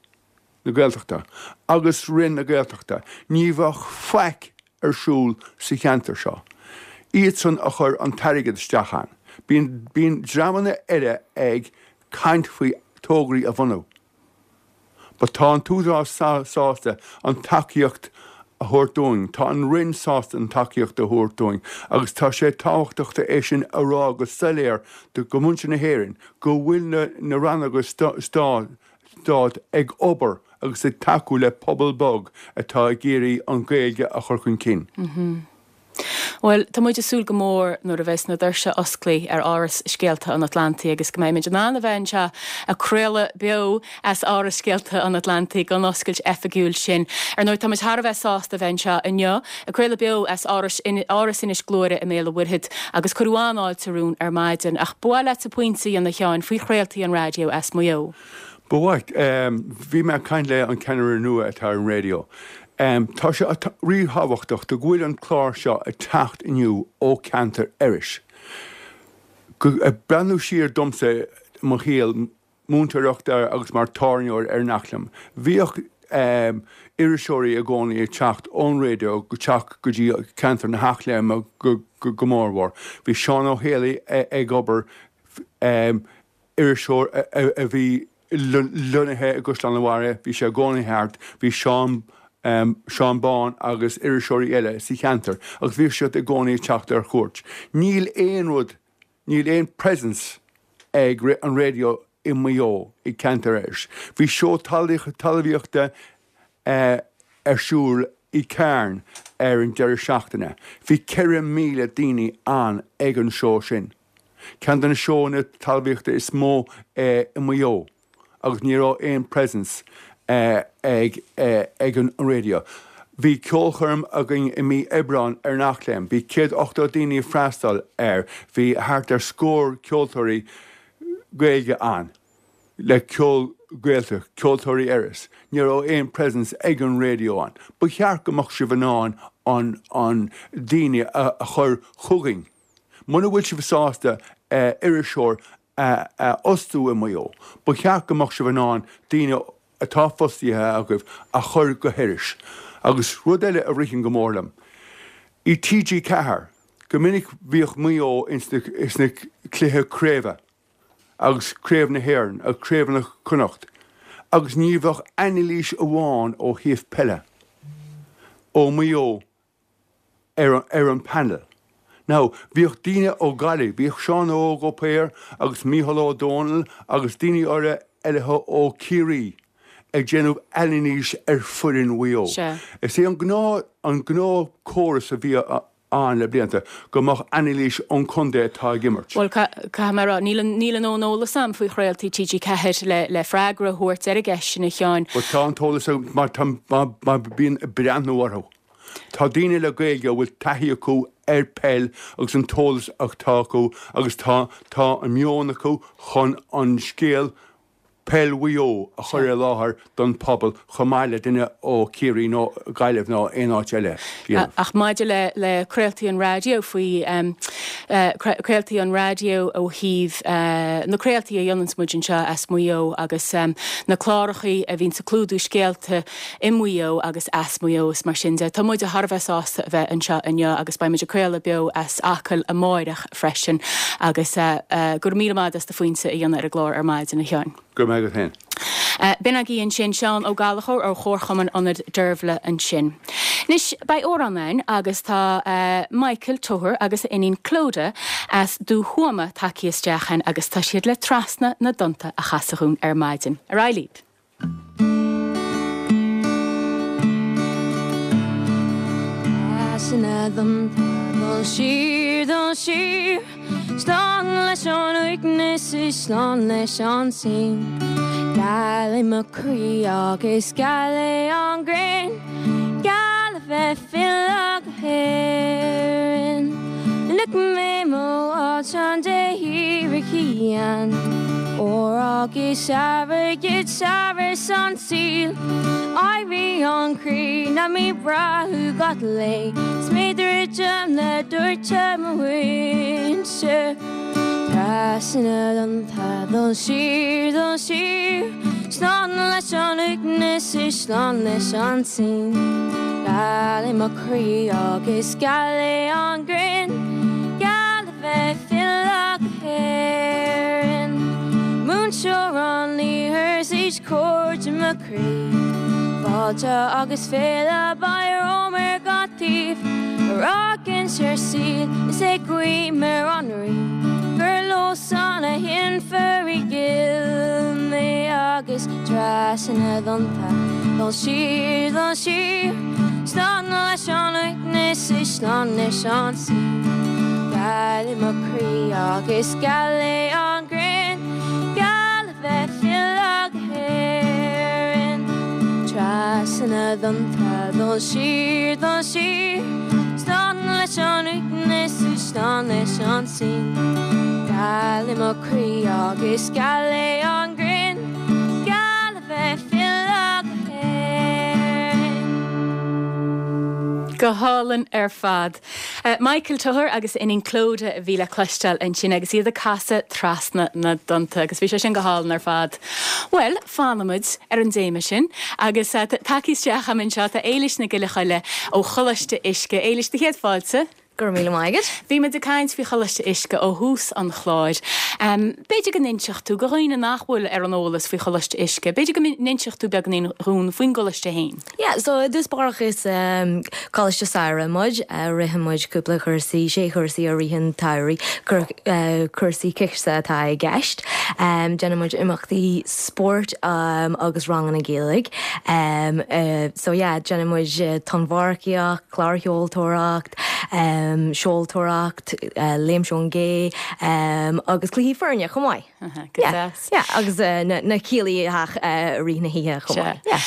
na Gaeltachta agus Roinn na Gaeltachta ní bheadh faic ar siúl sa cheantar seo. Iadsan a chuir an t-airgead isteach ann. Bíonn, bíonn dreamanna eile ag caint faoi tograí a bhunú. But tá an tÚdarás sásta an tacaíocht a thabhairt dúinn, tá an Roinn sásta an tacaíocht a thabhairt dúinn agus tá sé tábhachtach é sin a rá go soiléir do mhuintir na hÉireann go bhfuil na, na rannóga stáit ag obair agus ag tacú le pobal beag atá ag iarraidh an Ghaeilge a chur chun cinn. Bhuel, tá muid ag súil go mór nuair a bheas na doirse osclaithe ar Áras Scéalta an Atlantaigh agus go mbeidh muid in ann a bheith anseo ag craoladh beo as Áras Scéalta an Atlantaigh don oscailt oifigiúil sin. Ar ndóigh, tá muid thar a bheith sásta a bheith anseo inniu ag craoladh beo as Áras Áras Inis Gluaire i mBéal an Mhuirthead agus cuireadh an-fháilte romhainn ar maidin. Ach ba mhaith leatsa pointe a dhéanamh a Sheáin faoi chraoltaí an raidió as Maigh Eo. Ba mhaith. Bhí mé ag caint le an ceannaire nua atá ar an raidió. Tá sé ríthábhachtach do go bhfuil an clár seo ag teacht inniu ó ceantar Iorrais. Ag breathnú siar domsa i mo shaol múinteoireachta agus mar tábhairneoir ar an Eachléim, bhíodh iriseoirí i gcónaí ag teacht ón raidió go teacht go dtí ceantar na hEachléime go mórmhór. Bhí Seán Ó Héalaí ag obair iriseoir a bhí lonnaithe i gCaisleán an Bharraigh, bhí sé i gcónaí thart, bhí Seán, Seán Bán agus iriseoirí eile sa cheantar agus bhíodh siad i gcónaí ag teacht ar chuairt. Níl aon rud, níl aon presence ag an raidió i Maigh Eo, i gceantar Iorrais. Bhí seó talmhaíochta ar siúl i Carn ar an deireadh seachtaine. Bhí 4,000 daoine ann ag an seó sin. Ceann de na seóanna talmhaíochta is mó i Maigh Eo agus ní raibh aon presence ag ag an raidió. Bhí ceolchoirm againn i mí Aibreáin ar an Eachléim. Bhí 180 daoine ag freastal air. Bhí thart ar scór ceoltóirí Gaeilge ann le ceol Gaeltacht, ceoltóirí Iorrais. Ní raibh aon presence ag an raidió ann. Ba cheart go mbeadh sibh in ann an an daoine a chur chugainn. Muna bhfuil sibh sásta iriseoir a fhostú i Maigh Eo, ba cheart go mbeadh sibh in ann daoine atá fostaithe agaibh a chur go hIorras. Agus rud eile a ritheann go mór liom, i TG4, go minic bhíodh Maigh Eo ins na cluiche craoibhe agus Craobh na hÉireann agus Craobh Chonnacht agus ní bheadh anailís amháin ó thaobh peile ó Maigh Eo ar ar an panel. Now, bhíodh daoine ó Ghaillimh, bhíodh Seán Óg Ó Paor agus Mícheál Ó Dónaill agus daoine eile eile ó Chiarraí ag déanamh anailís ar foireann Mhaigh Eo. Sea. Is é an gnáth an gnáth córas a bhí ann le blianta go mbeadh anailís ón contae atá ag imirt. Bhuel, caithfidh mé a rá, níl an níl an an eolas a'm faoi chraoltaí TG4 le le freagra a thabhairt ar an gceist sin a Sheáin. Bhuel, tá an t-eolas agam mar tá mar mar bím ag breathnú orthu. Tá daoine le Gaeilge a bhfuil taithí acu ar peil agus an t-eolas atá acu agus tá tá an meon acu chun an scéal peil Mhaigh Eo a chur i láthair don phobal chomh maith le duine ó Chiarraí nó Gaillimh nó aon áit eile. Ach maidir le le craoltaí an raidió faoi craoltaí an raidió ó thaobh na craoltaí a dhéananns muid anseo as Maigh Eo agus na clárachaí a bhíonns ag clúdú scéalta i Maigh Eo agus as Maigh Eo is mar sin de. Tá muid thar a bheith sásta a bheith anseo inniu agus beidh muid ag craoladh beo as Acaill amáireach freisin agus go raibh míle maith agat as do phointe a dhéanamh ar an gclár ar maidin, a Sheáin. Go raibh maith agat féin. B'in agaibh ansin Seán Ó Gallchóir ó Chomharchumann Ionad Deirbhile ansin. Anois beidh amhrán againn agus tá Michael Toher agus a iníon Clodagh as Dúthuama tagtha isteach againn agus tá siad le Trasna na dTonnta a chasadh dhúinn ar maidin. Ar aghaidh libh! Trasna na dtonnta dul siar, dul siar, Slán leis an uaigneas is slán leis an tslí. Geal é mo chroí agus geal é an ghrian, Geal a bheith ag filleadh go hÉirinn. Loic mé mo áilteán de thír chian, Ór agus airgead saibhreas an tsaoil. Éirí an chroí nach mbím breá thú gach lae, 'S mé druidim le doirteadh mo mhuintir. Trasna na dtonnta dul siar, dul siar, Slán leis an uaigneas is slán leis an tslí. Geal é mo chroí agus geal é an ghrian, Geal a bheith ag filleadh go hÉirinn. Múinteoir an iarthair 's iad cairde mo chroí, Fáilte agus féile beidh romham ar gach taobh, Ag amharc ar an saol is ag guí ar an Rí Gur leosan a sheinnfear i gcill mé Agus trasna na dtonnta dul siar, dul siar Slán leis an uaigneas is slán leis an tslí Geal é mo chroí agus geal é an ghrian Geal a bheith ag filleadh go hÉirinn Trasna na dtonnta dul siar, dul siar Slán leis an uaigneas is slán leis an tslí Geal é mo chroí agus geal é an ghrian Geal a bheith ag filleadh go hÉirinn. Go hálainn ar fad. Michael Toher agus a iníon Clodagh a bhí le cloisteáil ansin agus iad ag casadh Trasna na dTonnta agus bhí sé sin go hálainn ar fad. Bhuel, fanfaimid ar an dtéama sin agus tagtha isteach agam anseo tá Éilis Nic Giolla Choille ó Choláiste Uisce. Éilis, do chéad fáilte. Go raibh míle maith agat. Bhí muid ag caint faoi Choláiste Uisce ó thús an chláir. B'fhéidir go n-inseodh tú, do dhaoine nach bhfuil ar an eolas faoi Choláiste Uisce, b'fhéidir go n-inseodh tú beagáinín dhúinn faoin gcoláiste féin. Yeah, so i dtús báire is coláiste samhraidh muid, ritheann muid cúpla cúrsaí, sé chúrsaí i rith an tsamhraidh, cúrsaí coicíse atá i gceist. Déanann muid imeachtaí spóirt agus ranganna Gaeilge. So yeah, déanann muid tonnmharcaíocht, clársheoltóireacht, seoltóireacht, léim ón gcé agus cluichí foirne chomh maith. Go deas. Yeah, agus na céilí i rith na hoíche chomh maith. Yeah.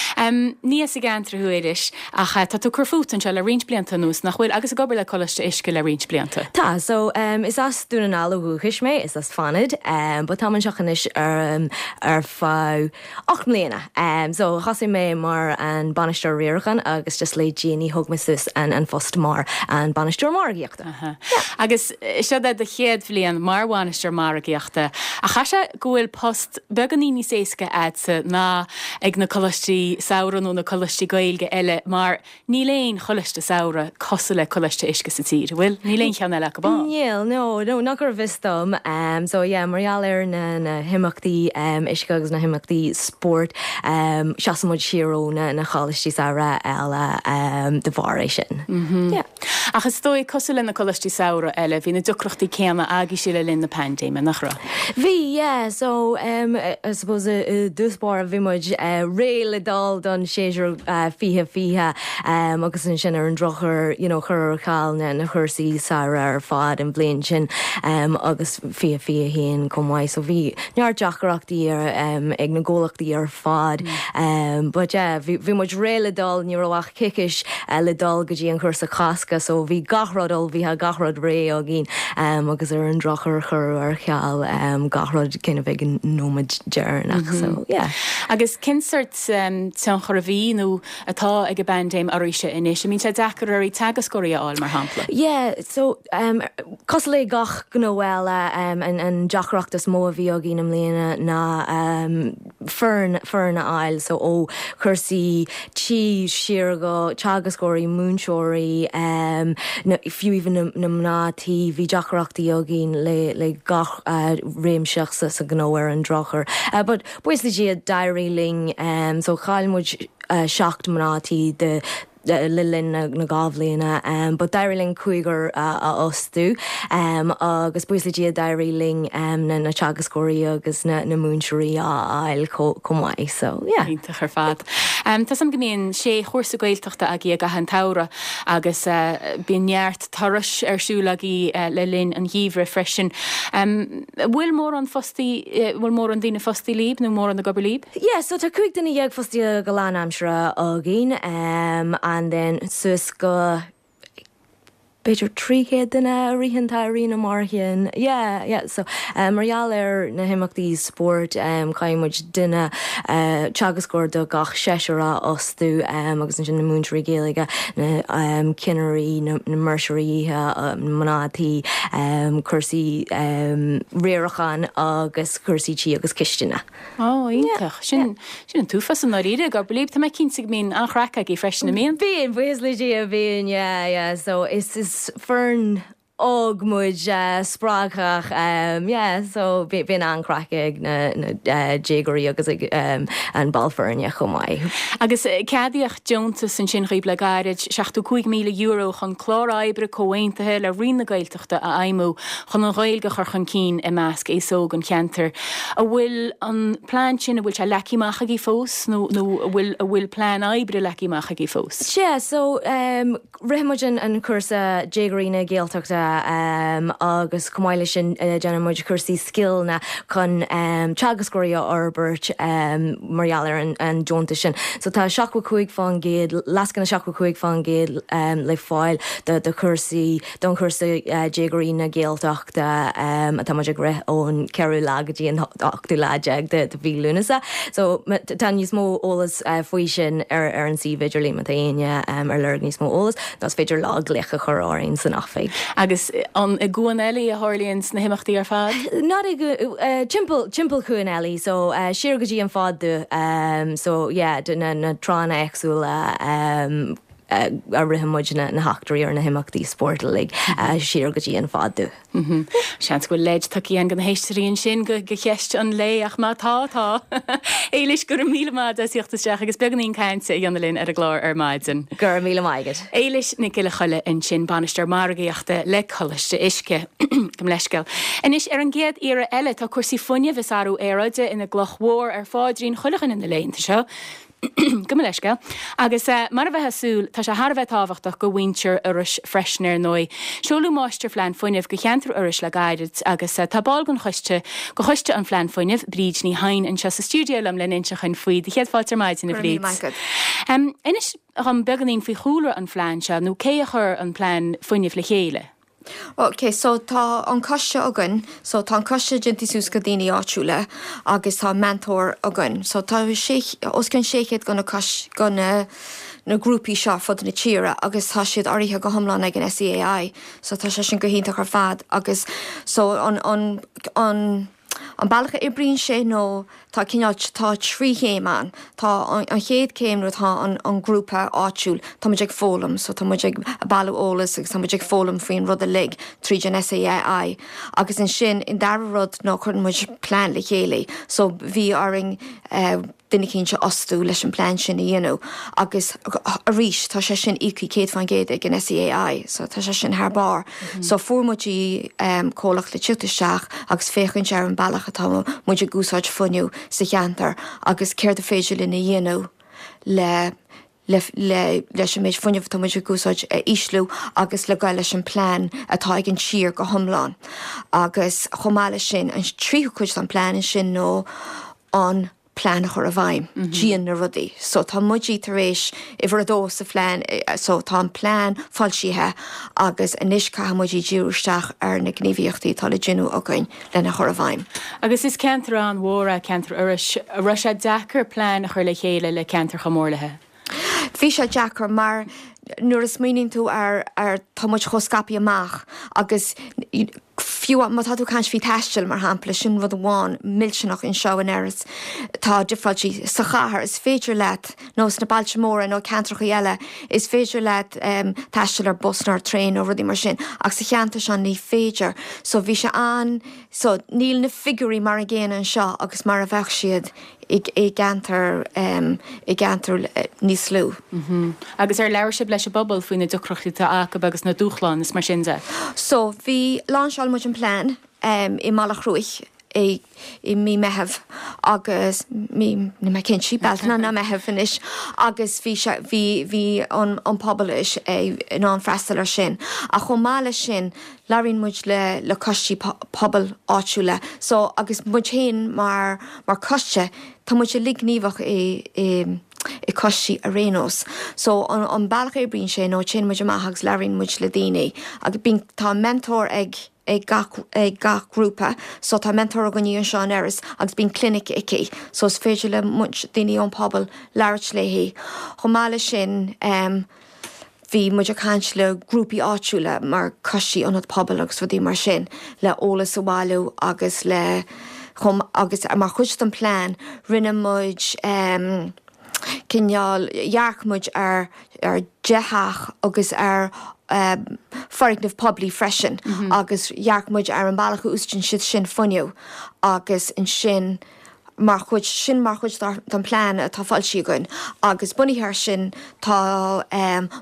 Ní as an gceantar thú, Éilis, ach tá tú ag cur fút anseo le roinnt blianta anuas, nach bhfuil? Agus ag obair le Coláiste Uisce le roinnt blianta. Tá, so is as Dún na nGall ó dhúchais mé, is as Fánaid, but táim anseo anois ar feadh 8 mbliana. So thosaigh mé mar an bainisteoir riaracháin agus just le déanaí thóg mé suas an phost mar an bainisteoir margaíochta. Yeah. Agus seo é do chéad bhliain mar bhainisteoir margaíochta, ach caithfidh sé go bhfuil post beagáinín níos éasca a'dsa ná ag na coláistí samhraidh nó na coláistí Gaeilge eile mar Níl aon choláiste samhraidh cosúil le Coláiste Uisce sa tír, an bhfuil? Níl aon cheann eile acu ann. Níl, no, no, not go bhfios dom. So yeah, mar gheall ar na, na himeachtaí uisce agus na himeachtaí spóirt, seasann muid siar ó na, na choláistí samhraidh eile de bharr é sin. Yeah. Ach is dóigh, cosúil le na coláistí samhraidh eile, bhí na deacrachtaí céanna agaibhse le linn na paindéime, nach raibh? Bhí, yeah. So, I suppose i dtús báire bhí muid réidh le dul don séasúr 2020 agus ansin ar an drochuair, you know, cuireadh ar ceal na cúrsaí samhraidh ar fad an bhliain sin agus 2021 chomh maith. So bhí neart deacrachtaí ag na comhlachtaí ar fad. But yeah, bhí muid réidh le dul, ní raibh ach coicís le dul go dtí an cúrsa Cásca so bhí gach rud ullmhaithe, gach rud réidh againn agus ar an drochuair cuireadh ar ceal gach rud kind of ag an nóiméad deireanach so yeah. Agus cén sort tionchar a bhí nó atá ag an bpaindéim oraibhse anois? An mbíonn sé deacair oraibh teagascóirí a fháil mar shampla? Yeah, so cosúil le gach gnó eile an deacracht is mó a bhí againn i mbliana ná foireann, foireann a fháil so ó chúrsaí tí siar go teagascóirí, múinteoirí, na, fiú even na, na mná tí, bhí deacrachtaí againn le, le gach réimse sa, sa ghnó ar an drochuair. But buíochas le Dia d'éirigh linn so chaill muid 7 mná tí de. le linn na 2 bhliana but d'éirigh linn cúigear a fhostú agus buíochas le Dia d'éirigh linn na teagascóirí agus na múinteoirí a fháil chomh maith so yeah. Iontach ar fad. Tá 'fhios a'm go mbíonn sé chúrsa Gaeltachta agaibh i gcaitheamh an tsamhraidh agus bíonn neart turais ar siúl agaibh le linn an gheimhridh freisin. An bhfuil mórán fostaí, bhfuil mórán daoine fostaí libh nó mórán ag obair libh? Yeah, so tá 15 duine fostaithe go lánaimseartha againn and then suas go b'fhéidir 300 duine a ritheann tá i rith na marthain. Yeah, yeah, so mar gheall ar na himeachtaí spóirt caithfidh muid duine teagascóir do gach seisear a fhostú agus ansin na múinteoirí Gaeilge, na cinnirí, na maoirseoirí oíche, mná tí, cúrsaí riaracháin agus cúrsaí tí agus cistine. Ó, iontach. Sin, sin an t-uafás i ndáiríre ag obair libh. Tá mé cinnte go mbíonn an-chraic agaibh freisin, an mbíonn? Bíonn, buíochas le Dia, bíonn, yeah, yeah. So is, is foireann óg muid, spreagthach, yeah, so bíonn an-chraic ag na, na déagóirí agus ag an ball foirne chomh maith. Agus ceadaíodh deontas ansin dhaoibh le gairid, €75,000 chun clár oibre comhaontaithe le Roinn na Gaeltachta, a fheidhmiú chun an Ghaeilge a chur chun cinn i measc aos óg an cheantair. An bhfuil an plean sin, an bhfuil sé leagtha amach agaibh fós nó nó an bhfuil an bhfuil plean oibre leagtha amach agaibh fós? Sea, so rith muid an cúrsa Déagóirí na Gaeltachta agus chomh maith leis sin déanann muid cúrsaí scileanna chun teagascóirí a fhorbairt mar gheall ar an deontas sin. So tá 75%, lascaine 75% le fáil do chúrsaí don chúrsa Déagóirí na Gaeltachta atá muid ag rith ón ceathrú lá go dtí an ochtú lá déag de mhí Lúnasa. So tá níos mó eolas faoi sin ar ar an suíomh idirlín má tá éinne ar lorg níos mó eolas nó is féidir leo glaoch a chur orainn san oifig. Agus an i gCuan Eilí a tharlaíonn na himeachtaí ar fad? Not i timpeall timpeall Chuan Eilí so siar go dtí an Fad Dubh so yeah na na tránna éagsúla a ritheann muid na heachtraí ar na himeachtaí spóirt uilig siar go dtí an Fad Dubh. Seans go bhfuil leid tugtha againn do na héisteoirí ansin go cheist an lae ach má tá, tá. Éilis, go raibh míle maith agat as theacht isteach agus beagáinín cainte a dhéanamh linn ar an gclár ar maidin. Go raibh míle maith agat. Éilis Nic Giolla Choille ansin, Bainisteoir Margaíochta le Coláiste Uisce. Gabh mo leithscéal. Anois, ar an gcéad iarraidh eile, tá cúrsaí fuinnimh is athrú aeráide ina gcloch mhór ar pháidrín chuile dhuine na laethanta seo. Gabh mo leithscéal. Agus mar a bheifeá ag súil, tá sé thar a bheith tábhachtach go mhuintir Iorrais freisin, ar ndóigh. Seoladh Máistirphlean Fuinnimh go cheantar Iorrais le gairid agus tá ball den choiste, go Choiste an Phlean Fuinnimh, Bríd Ní Chadhain, anseo sa stiúideo liom lena inse dhuinn faoi. Do chéad fáilte ar maidin, a Go raibh míle maith Bhríd. agat. Inis dhom beagáinín faoi chúlra an phlean seo, nó cé a chuir an plean fuinnimh le chéile? Ok, so tá an coiste againn, so tá an coiste déanta suas go daoine áitiúla agus tá meantóir againn. So tá sé, os cionn 600 go na cois, go na, na grúpaí seo ar fud na tíre agus tá siad urraithe go hiomlán ag an SEAI. So tá sé sin go hiontach ar fad agus so an, an, an, An bealach a oibríonn sé nó tá cineál, tá 3 chéim ann. Tá an chéad chéim nuair atá an grúpa áitiúil, tá muid ag foghlaim, so tá muid ag bailiú eolas agus tá muid ag foghlaim faoin rud uilig tríd an SEAI. Agus ansin an dara rud ná cuireann muid plean le chéile. So bhí orainn duine eicínt a fhostú leis an plean sin a dhéanamh agus arís tá sé sin íoctha 100% ag an SEAI so tá sé sin thar barr. So fuair muid comhlacht le teacht isteach agus féachaint ar an bealach atá muid ag úsáid fuinneamh sa cheantar agus céard a féidir linn a dhéanamh le le leis an méid fuinnimh atá muid ag úsáid a ísliú agus le goil leis an plean atá ag an tír go hiomlán. Agus chomh maith leis sin, an tríú cuid den plean ansin nó an plean a chur i bhfeidhm, déan na rudaí. So tá muid tar éis uimhir a dó sa phlean, so tá an plean foilsithe agus anois caithfidh muid díriú isteach ar na gníomhaíochtaí atá le déanamh againn lena chur i bhfeidhm. Agus is ceantar an-mhór é ceantar Iorrais. An raibh sé deacair plean a chur le chéile le ceantar chomh mór léi? Bhí sé deacair mar nuair a smaoiníonn tú ar, ar, tá muid chomh scaipthe amach agus fiú má tá tú ag caint faoi taisteal mar shampla, sin rud amháin millteanach anseo in Iorras, tá difreáiltí sa chathair, is féidir leat, nó sna bailte móra nó ceantracha eile, is féidir leat taisteal ar bus nó ar traein nó rudaí mar sin ach sa cheantar seo ní féidir. So bhí sé an, so níl na figiúirí mar an gcéanna anseo agus mar a bheadh siad. i gceantar i gceantar níos lú. Agus ar labhair sibh leis an bpobal faoi na deacrachtaí atá acu agus na dúshláin is mar sin de? So bhí, láinseáil muid an plean i Mullach Cruaich i i mí Meitheamh agus mí, níl mé cinnte, Bealtaine nó Meitheamh anois agus bhí sé, bhí, bhí an an pobal in ann freastal ar sin. Ach chomh maith leis sin labhraíonn muid le le coistí pobail áitiúla so agus muid féin mar mar coiste tá muid uilig gníomhach i i i coistí ar aon nós. So an an bealach a oibríonn sé nó téann muid amach agus labhraíonn muid le daoine agus bíonn tá mentor ag ag gach ag gach grúpa so tá mentor againne anseo in Iorras agus bíonn clinic aici so is féidir le muid daoine ón pobal labhairt léi. Chomh maith leis sin em Bhí muid ag caint le grúpaí áitiúla mar coistí ionad pobail agus rudaí mar sin le eolas a bhailiú agus le chomh agus mar chuid den plean rinne muid em cineál dhearc muid ar ar 10 theach agus ar em foirgneamh poiblí freisin agus dhearc muid ar an bealach a úsáideann siad sin fuinneamh agus ansin mar chuid, sin mar chuid den plean atá foilsithe againn agus bunaithe air sin tá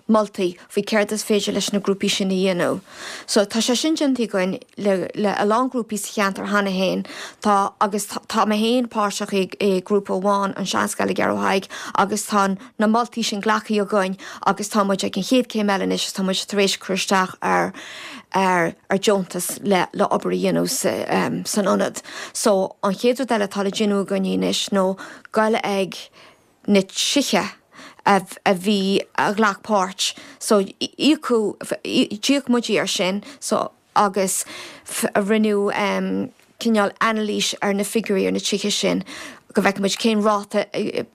moltaí faoi céard is féidir leis na grúpaí sin a dhéanamh. So tá sé sin déanta againn le le a lán grúpaí sa cheantar cheana féin. Tá agus tá mé féin páirteach i i grúpa amháin, an Seanscoil i gCeathrú Thaidhg agus tá na moltaí sin glactha againn agus tá muid ag an chéad céim eile anois is tá muid tar éis cur isteach ar ar ar deontas le le obair a dhéanamh sa san ionad. So an chéad rud eile atá le déanamh againn anois nó goil ag na tithe a a bhí a ghlac páirt so íocadh d'íoc muid ar sin so agus rinneadh cineál anailís ar na figiúirí ar na tithe sin go bhfeicfidh muid cén ráta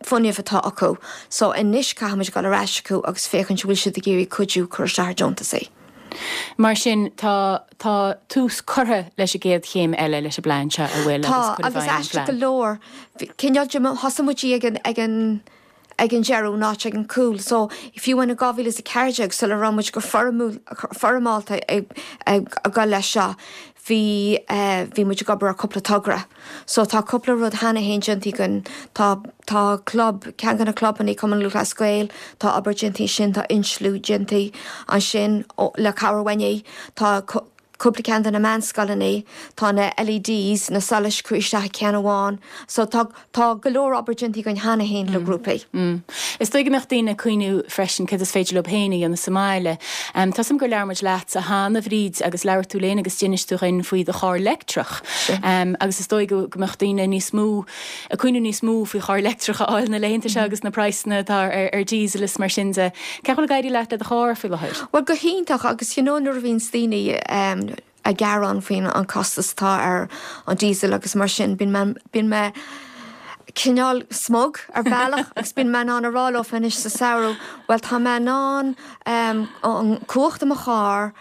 fuinnimh atá acu. So anois caithfidh muid dul ar ais chucu agus féachaint an bhfuil siad ag iarraidh cuidiú cur isteach ar deontasaí. Mar sin tá tá tús curtha leis an gcéad chéim eile leis an bplean seo, an bhfuil, agus cur i bhfeidhm an phlean. Tá, agus aisteach go leor, cineál de, thosaigh muid ag an ag an ag an deireadh in áit ag an cúl. So, fiú amháin in 2014, sula raibh muid go foirmeálta ag dul leis seo, bhí, bhí muid ag obair ar cúpla togra. So, tá cúpla rud cheana féin déanta againn. Tá, tá club, ceann de na clubanna, Cumann Lúthchleas Gael, tá obair déanta ansin, tá insliú déanta ansin le cabhair uainne. Tá cúpla ceann de na meánscoileanna, tá na LEDs, na solais curtha isteach i ceann amháin. So tá, tá go leor obair déanta againn cheana féin le grúpaí. Is dóigh go mbeadh daoine ag cuimhniú freisin céard is féidir leo féin a dhéanamh sa mbaile. Tá 'fhios a'm gur labhair muid leatsa cheana, a Bhríd, agus labhair tú linn agus d'inis tú dhuinn faoi do charr leictreach. Agus is dóigh go mbeadh daoine níos mó, ag cuimhniú níos mó faoi charr leictreach a fháil na laethanta seo agus na praghsanna atá ar diesel is mar sin de. Cén chaoi a bhfuil ag éirí leat le do charr faoi láthair? Bhuel, go hiontach agus you know nuair a bhíonns daoine ag gearán faoin an costas atá ar an diesel agus mar sin, bíonn mé, bíonn mé cineál smug ar bhealach agus bíonn mé in ann a rá leo anois sa samhradh, bhuel tá mé in ann an cumhacht i mo charr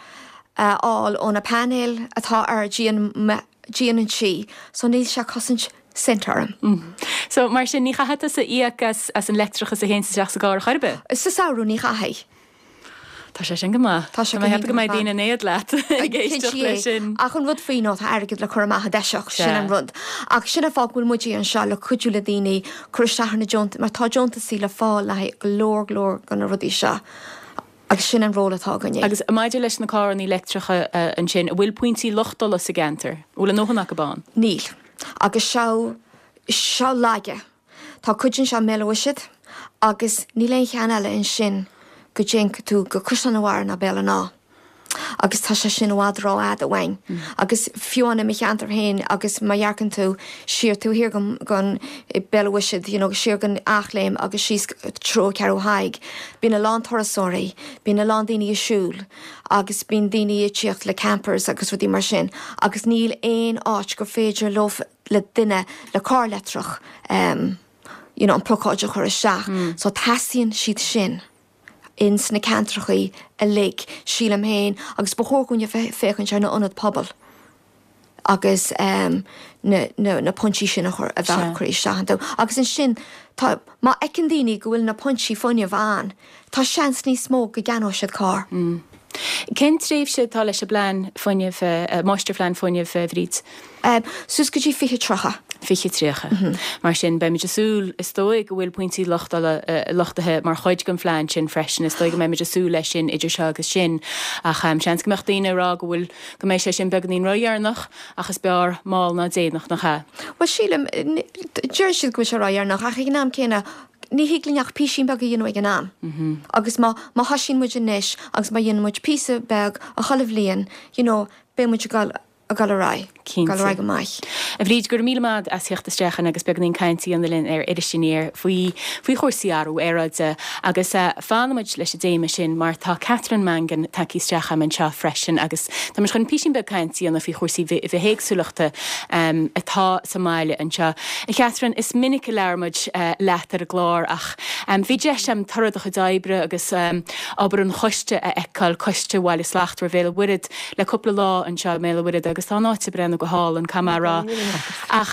a fháil ó na painéil atá ar díon díon an tí so níl sé ag cosaint cent orm. So, mar sin, ní chaithfidh tusa íoc as as an leictreachas a théanns isteach sa gcarr ar chor ar bith? Sa samhradh, ní chaithfidh. Tá sé sin go maith. Tá sé go hiontach. Tá mé ag ceapadh go mbeidh ar fad. daoine in éad leat ag éisteacht leis sin. Ach an rud faoi ná tá airgead le cur amach i dtoiseach, sin an rud. Ach sin an fáth go bhfuil muid anseo le cuidiú le daoine cur isteach ar na deontais, mar tá deontasaí le fáil le haghaidh go leor go leor de na rudaí seo. Agus sin an ról atá againne. Agus maidir leis na carrannaí leictreacha ansin, an bhfuil pointí luchtála sa gceantar? An bhfuil a ndóthain acu ann? Níl. Agus seo, seo laige. Tá cuid anseo i mBéal an Mhuirthead agus níl aon cheann eile ansin go dtéann tú go Caisleán an Bharraigh ná Béal an Átha. Agus tá sé sin i bhfad rófhada uainn. Agus fiú amháin i mo cheantar féin agus má dhearcann tú siar taobh thiar den Béal an Mhuirthead, you know, siar den Eachléim agus síos treo Ceathrú Thaidhg, bíonn a lán turasóirí, bíonn a lán daoine ag siúl agus bíonn daoine ag tíocht le campers agus rudaí mar sin agus níl aon áit gur féidir leo, le duine le carr leictreach, you know, an plocáid a chur isteach. So teastaíonn siad sin. ins na ceantrachaí uilig, sílim féin, agus ba chóir dhúinn a bheith féachaint ar na ionaid pobail agus na na pointí sin a chur a bheith curtha isteach iontu. Agus ansin tá, má fheiceann daoine go bhfuil na pointí fuinnimh ann, tá seans níos mó go gceannóidh siad carr. Cén tréimhse atá leis an bplean fuinnimh, máistirphlean fuinnimh, a Bhríd? Suas go dtí 2030. 2030. Mar sin, beimid ag súil, is dóigh, go bhfuil pointí luchtála, luchtaithe mar chuid den phlean sin freisin. Is dóigh go mbeimid ag súil leis sin idir seo agus sin. Ach seans go mbeadh daoine ag rá go bhfuil, go mbeidh sé sin beagáinín ródheireanach, ach is b'fhearr mall ná déanach, nach ea? Bhuel, sílim, deir siad go bhfuil sé ródheireanach, ach ag an am céanna, ní thig linn ach písín beag a dhéanamh ag an am. Agus má, má thoisíonn muid anois agus má dhéanann muid píosa beag chuile bhliain, you know, beidh muid ag dul, ag dul ar aghaidh, ag dul ar aghaidh go maith. A Bhríd, go raibh míle maith agat as theacht isteach chugainn agus beagáinín cainte a dhéanamh linn ar Iris Aniar faoi, faoi chúrsaí athrú aeráide. Agus fanfaidh muid leis an dtéama sin mar tá Catherine Mangan tagtha isteach agam anseo freisin agus tá muid chun písín beag cainte a dhéanamh faoi chúrsaí bithéagsúlachta atá sa mbaile anseo. A Chatherine, is minic a labhair muid leat ar an gclár ach bhí deis agam toradh do chuid oibre agus obair an choiste a fheiceáil, Coiste Bhaile Slachtmhar Bhéal an Mhuirthead, le cúpla lá anseo i mBéal an Mhuirthead agus tá an áit ag breathnú go hálainn, caithfidh mé a rá. Ach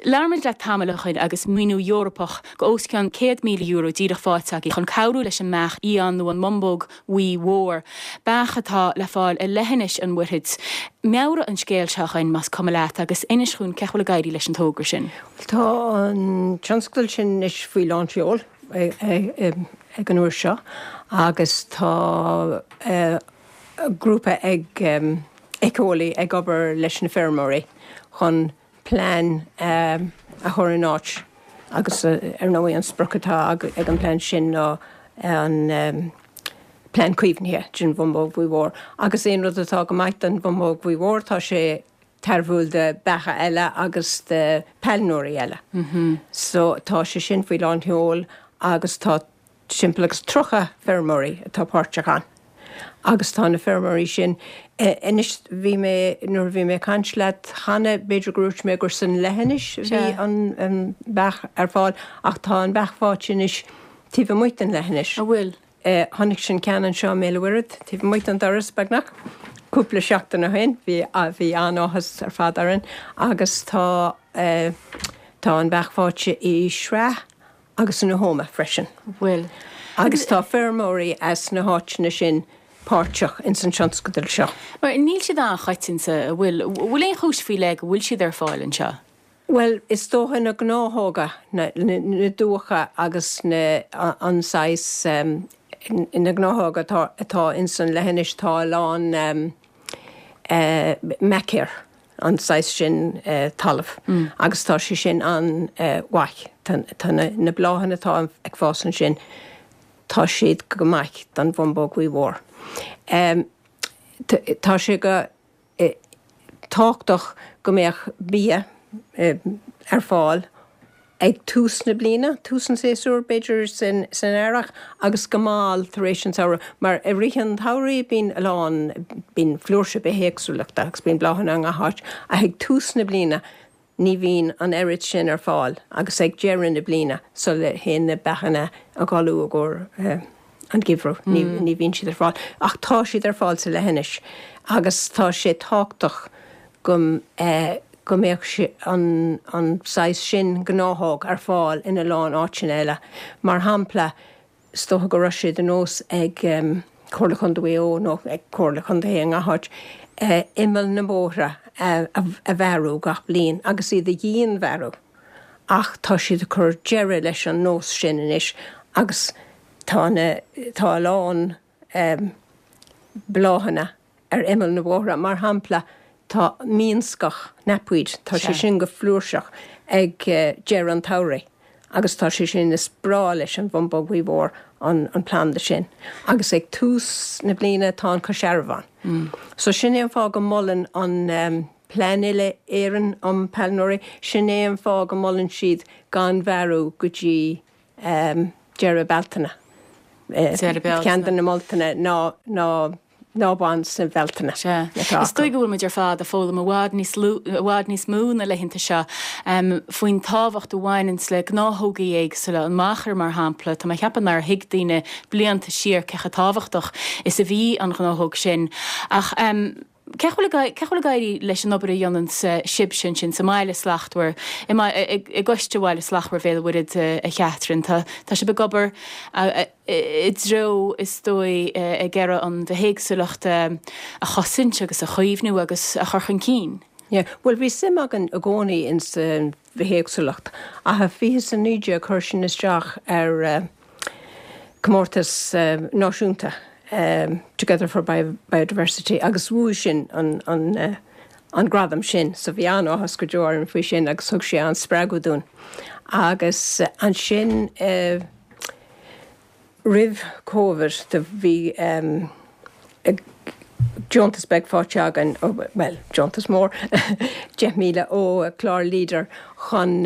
labhair muid leat tamall ó shin agus maoiniú Eorpach go os cionn €100,000 díreach faighte agaibh chun cabhrú leis an mbeach fhiáin nó an mbumbóg bhuí mhór, beach atá le fáil i leithinis an Mhuirthid. Meabhraigh an scéal seo dhuinn, más cuma leat, agus inis dhúinn cén chaoi a bhfuil ag éirí leis an togra sin. Tá an tionscadal sin anois faoi lán tseoil ag an uair seo agus tá grúpa ag éiceolaí ag obair leis na feirmeoirí chun plean a chur in áit agus ar ndóigh an sprioc atá ag an bplean sin ná an plean caomhnaithe den bhumbóg bhuí mhór. Agus aon rud atá go maith don bhumbóg bhuí mhór tá sé tairbhiúil do beacha eile agus do pailneoirí eile. So tá sé sin faoi lán sheol agus tá timpeall agus 30 feirmeoirí atá páirteach ann agus tá na feirmeoirí sin, anois bhí mé, nuair a bhí mé ag caint leat cheana, b'fhéidir gur dhúirt mé gur san leithinis a bhí an beach ar fáil ach tá an beach faighte anois taobh amuigh den leithinis. An bhfuil? Chonaic an ceann anseo i mBéal an Mhuirthead, taobh amuigh den doras beagnach, cúpla seachtain ó shin, bhí, bhí an-áthas ar fad orainn agus tá, tá an beach faighte i Sraith agus in Tuama freisin. Bhfuil. Agus tá feirmeoirí as na háiteanna sin páirteach ins an tionscadal seo. Mar níl siad an-choitianta, an bhfuil? Bhfuil aon chúis faoi leith go bhfuil siad ar fáil anseo? Bhuel, is dócha na gnáthóga, na dumhcha agus na, an saghas, na gnáthóga atá, atá ins an leithinis, tá a lán machair. an saghas sin talaimh agus tá sé sin an-mhaith. Tá na bláthanna atá ag fás ansin, tá siad go maith don bhumbóg bhuí mhór. Tá sé go tábhachtach go mbeadh bia ar fáil ag tús na bliana, tús an tséasúir b'fhéidir san earrach agus go mall tar éis an tsamhraidh mar i rith an tsamhraidh bíonn a lán, bíonn flúirse bithéagsúlachta agus bíonn bláthanna i ngach áit ach ag tús na bliana ní bhíonn an oiread sin ar fáil agus ag deireadh na bliana sula théann na beachanna a gcodladh i gcomhair an geimhreadh ní bhíonn siad ar fáil ach tá siad ar fáil sa leithinis agus tá sé tábhachtach go go mbeadh an an saghas sin gnáthóg ar fáil ina lán áiteanna eile. Mar shampla, is dócha go raibh sé de nós ag Comhairle Chontae Mhaigh Eo nó ag Comhairle Chontae i ngach áit imeall na mbóithre a bhearú gach bliain agus iad a dhianbhearú ach tá siad ag cur deireadh leis an nós sin anois agus tá na tá a lán bláthanna ar imeall na bóithre. Mar shampla, tá mionscach, knapweed, tá sé sin go flúirseach ag deireadh an tsamhraidh agus tá sé sin, is breá leis an bhumbóg bhuí mhór an planda sin. Agus ag tús na bliana tá an coisearbhán. So sin é an fáth go molann an Plean Uile-Éireann um Pailneoirí, sin é an fáth go molann siad gan bhearú go dtí deireadh Bealtaine. Deireadh Bealtaine. Ceann de na moltaí ná ná ná bain sa Bhealtaine. Sea. Is dóigh go bhfuil muid ar fad ag foghlaim i bhfad níos lú, i bhfad níos mó na laethanta seo faoin tábhacht a bhaineanns le gnáthógaí éagsúla, an machair mar shampla. Tá mé ag ceapadh nár thuig daoine blianta siar cé chomh tábhachtach is a bhí an ghnáthóg sin. Ach cé chomh bhfuil cé chomh bhfuil ag éirí leis an obair a dhéanann sibhse ansin sa mBaile Slachtmhar, i gCoiste Bhaile Slachtmhar Bhéal an Mhuirthead, a Chatherine? Tá tá sibh ag obair i dtreo, is dóigh, ag iarraidh an bhithéagsúlacht a chosaint agus a chaomhnú agus a chur chun cinn. Yeah, bhuel bhí suim againn i gcónaí ins an bhithéagsúlacht ach i 2019 chuir sinn isteach ar comórtas náisiúnta Together for Biodiversity agus bhuaigh sinn an an an gradam sin so bhí an-áthas go deo orainn faoi sin agus thug sé an-spreagadh dúinn. Agus ansin roimh Covid do bhí deontas beag faighte againn, bhuel, deontas mór, 10,000 ó chlár Leader chun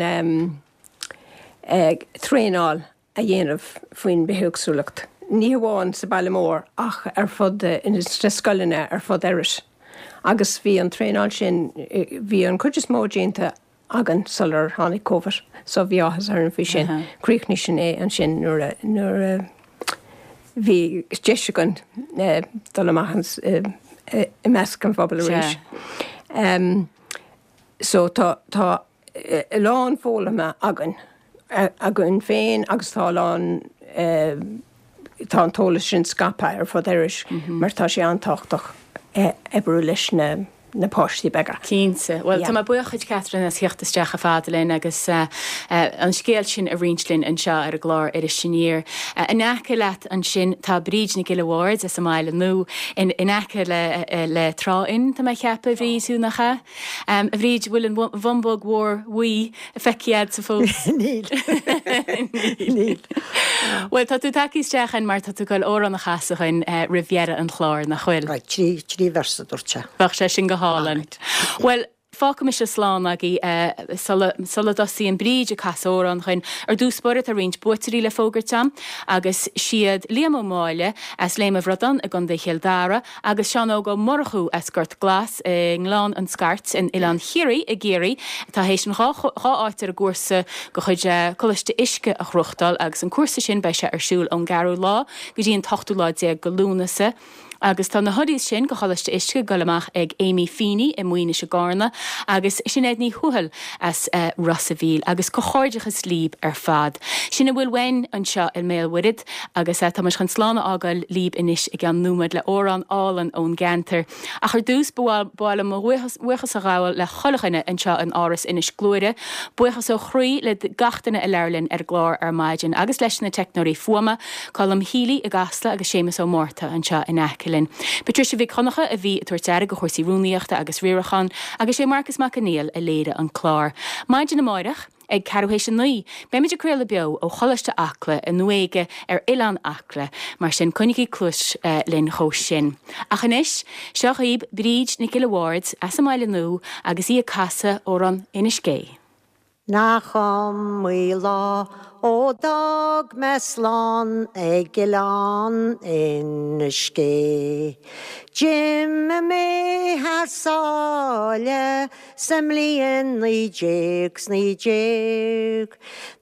traenáil a dhéanamh faoin bithéagsúlacht, ní hamháin sa baile mór ach ar fud, sna scoileanna ar fud Erris. Agus bhí an traenáil sin, bhí an chuid is mó déanta againn sular tháinig Covid so bhí áthas orainn faoi sin. Chríochnaigh sin é ansin nuair a, nuair a bhí deis againn dul amach i measc an phobail arís. So tá, tá a lán foghlamtha againn, againn féin agus tá a lán, tá an t-eolas sin scaipthe ar fud Iorrais mar tá sé an-tábhachtach oibriú leis na na páistí beaga. Cinnte. Bhuel, tá mé buíoch dhuit, Catherine, as theacht isteach chomh fada linn agus an scéal sin a roinnt linn anseo ar an gclár Iris Aniar. In aice leat ansin tá Bríd Nic Giolla Bhaird as an mBaile Nua, in aice le le Trá Fhinn, tá mé a cheapadh, a Bhríd, thú, nach ea? A Bhríd, bhfuil an bhumbóg mhór bhuí feicthe agatsa fós? Níl. Níl. Bhuel, tá tú tagtha isteach ann mar tá tú ag goil amhrán a chasadh dhuinn roimh dheireadh an chláir, nach bhfuil? Right, trí véarsa, dúirt sé. Bheadh sé sin go hálainn. Bhuel, fágfaidh mise slán agaibh sula, sula dtosaíonn Bríd ag casadh amhrán dhuinn. Ar dtús báire tá roinnt buaiteoirí le fógairt agam agus siad Liam Ó Máille as Léim a' Bhradáin i gContae Chill Dara agus Seán Óg Ó Murchú as Gort Glas i nGleann an Scairt in Oileán Chiarraí i gCiarraí atá théis an 2 áit ar an gcúrsa de chuid Coláiste Uisce a ghnóthachtáil agus an cúrsa sin beidh sé ar siúl ón gceathrú lá go dtí an t-ochtú lá déag de Lúnasa agus tá na hoodies sin go Choláiste Uisce ag dul amach ag Amy Feeney i Maínis i gCarna agus Sinéad Ní Thuathail as Ros a' Mhíl agus comhghairdeachas líb ar fad. Sin a bhfuil uainn anseo i mBéal Mhuirthead. Agus tá muid chun slán a fhágáil líb anois i gceann nóiméad le amhrán álainn ón gceantar. Ach ar dtús, ba mhaith liom mo bhuíochas a ghabháil le chuile dhuine anseo in Áras Inis Gluaire. Buíochas ó chroí le gach duine a labhair linn ar an gclár ar maidin agus leis na teicneoirí fuaime, Colm Healy i gCasla agus Séamus Ó Márta anseo in aice linn. Patricia Mhic Dhonncha a bhí ag tabhairt aire do chúrsaí rúnaíochta agus riaracháin agus sé Marcas Mac Conghail a léirigh an clár. Maidin amáireach. Ag ceathrú théis a 9, beimid ag craoladh beo ó Choláiste Acla i nDún Éige ar Oileán Acla, mar sin coinnigí cluas linn dhó sin. Ach anois, seo dhaoib Bríd Nic Giolla Bhaird as an mBaile Nua agus í ag casadh amhrán Inis Gé. Nach iomaí lá ó d'fhág mé slán ag Oileán Inis Gé. D'imigh mé thar sáile Sa mbliain 19 's 19,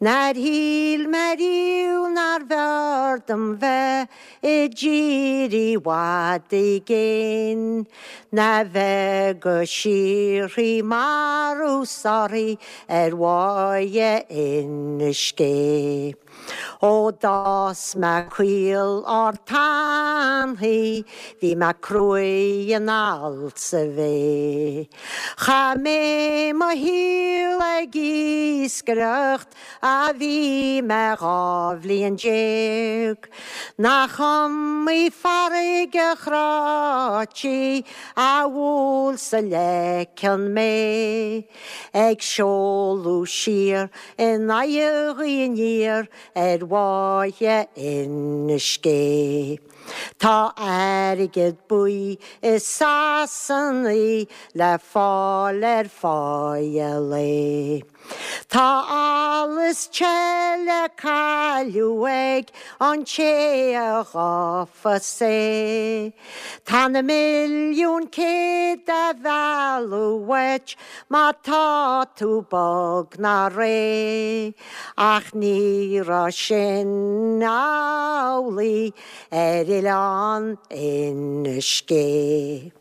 nár shíl mé riamh nárbh fhearr dom bheith i dtír i bhfad i gcéin, ná bheith go síoraí marbh sáraithe ar bháighe Inis Gé. Ó d'fhás mé caol ard tanaí, bhí mé cruaidh anall sa bhé. Chaith mé mo shaol ag iascaireacht ó bhí mé 12 bhliain. Nach iomaí farraige chráití a bhuail sa leiceann mé. Ag seoladh siar in aghaidh an ghaoth aniar ar bháighe Inis Gé. Tá airgead buí i Sasana le fáil ar pháighe lae. Tá allas te le cailleadh ag an té a ghabhfas é. Tá na milliúin céad á mhealladh uait má tá tú bog ná réidh, ach ní raibh sin amhlaidh ar oileán Inis Gé.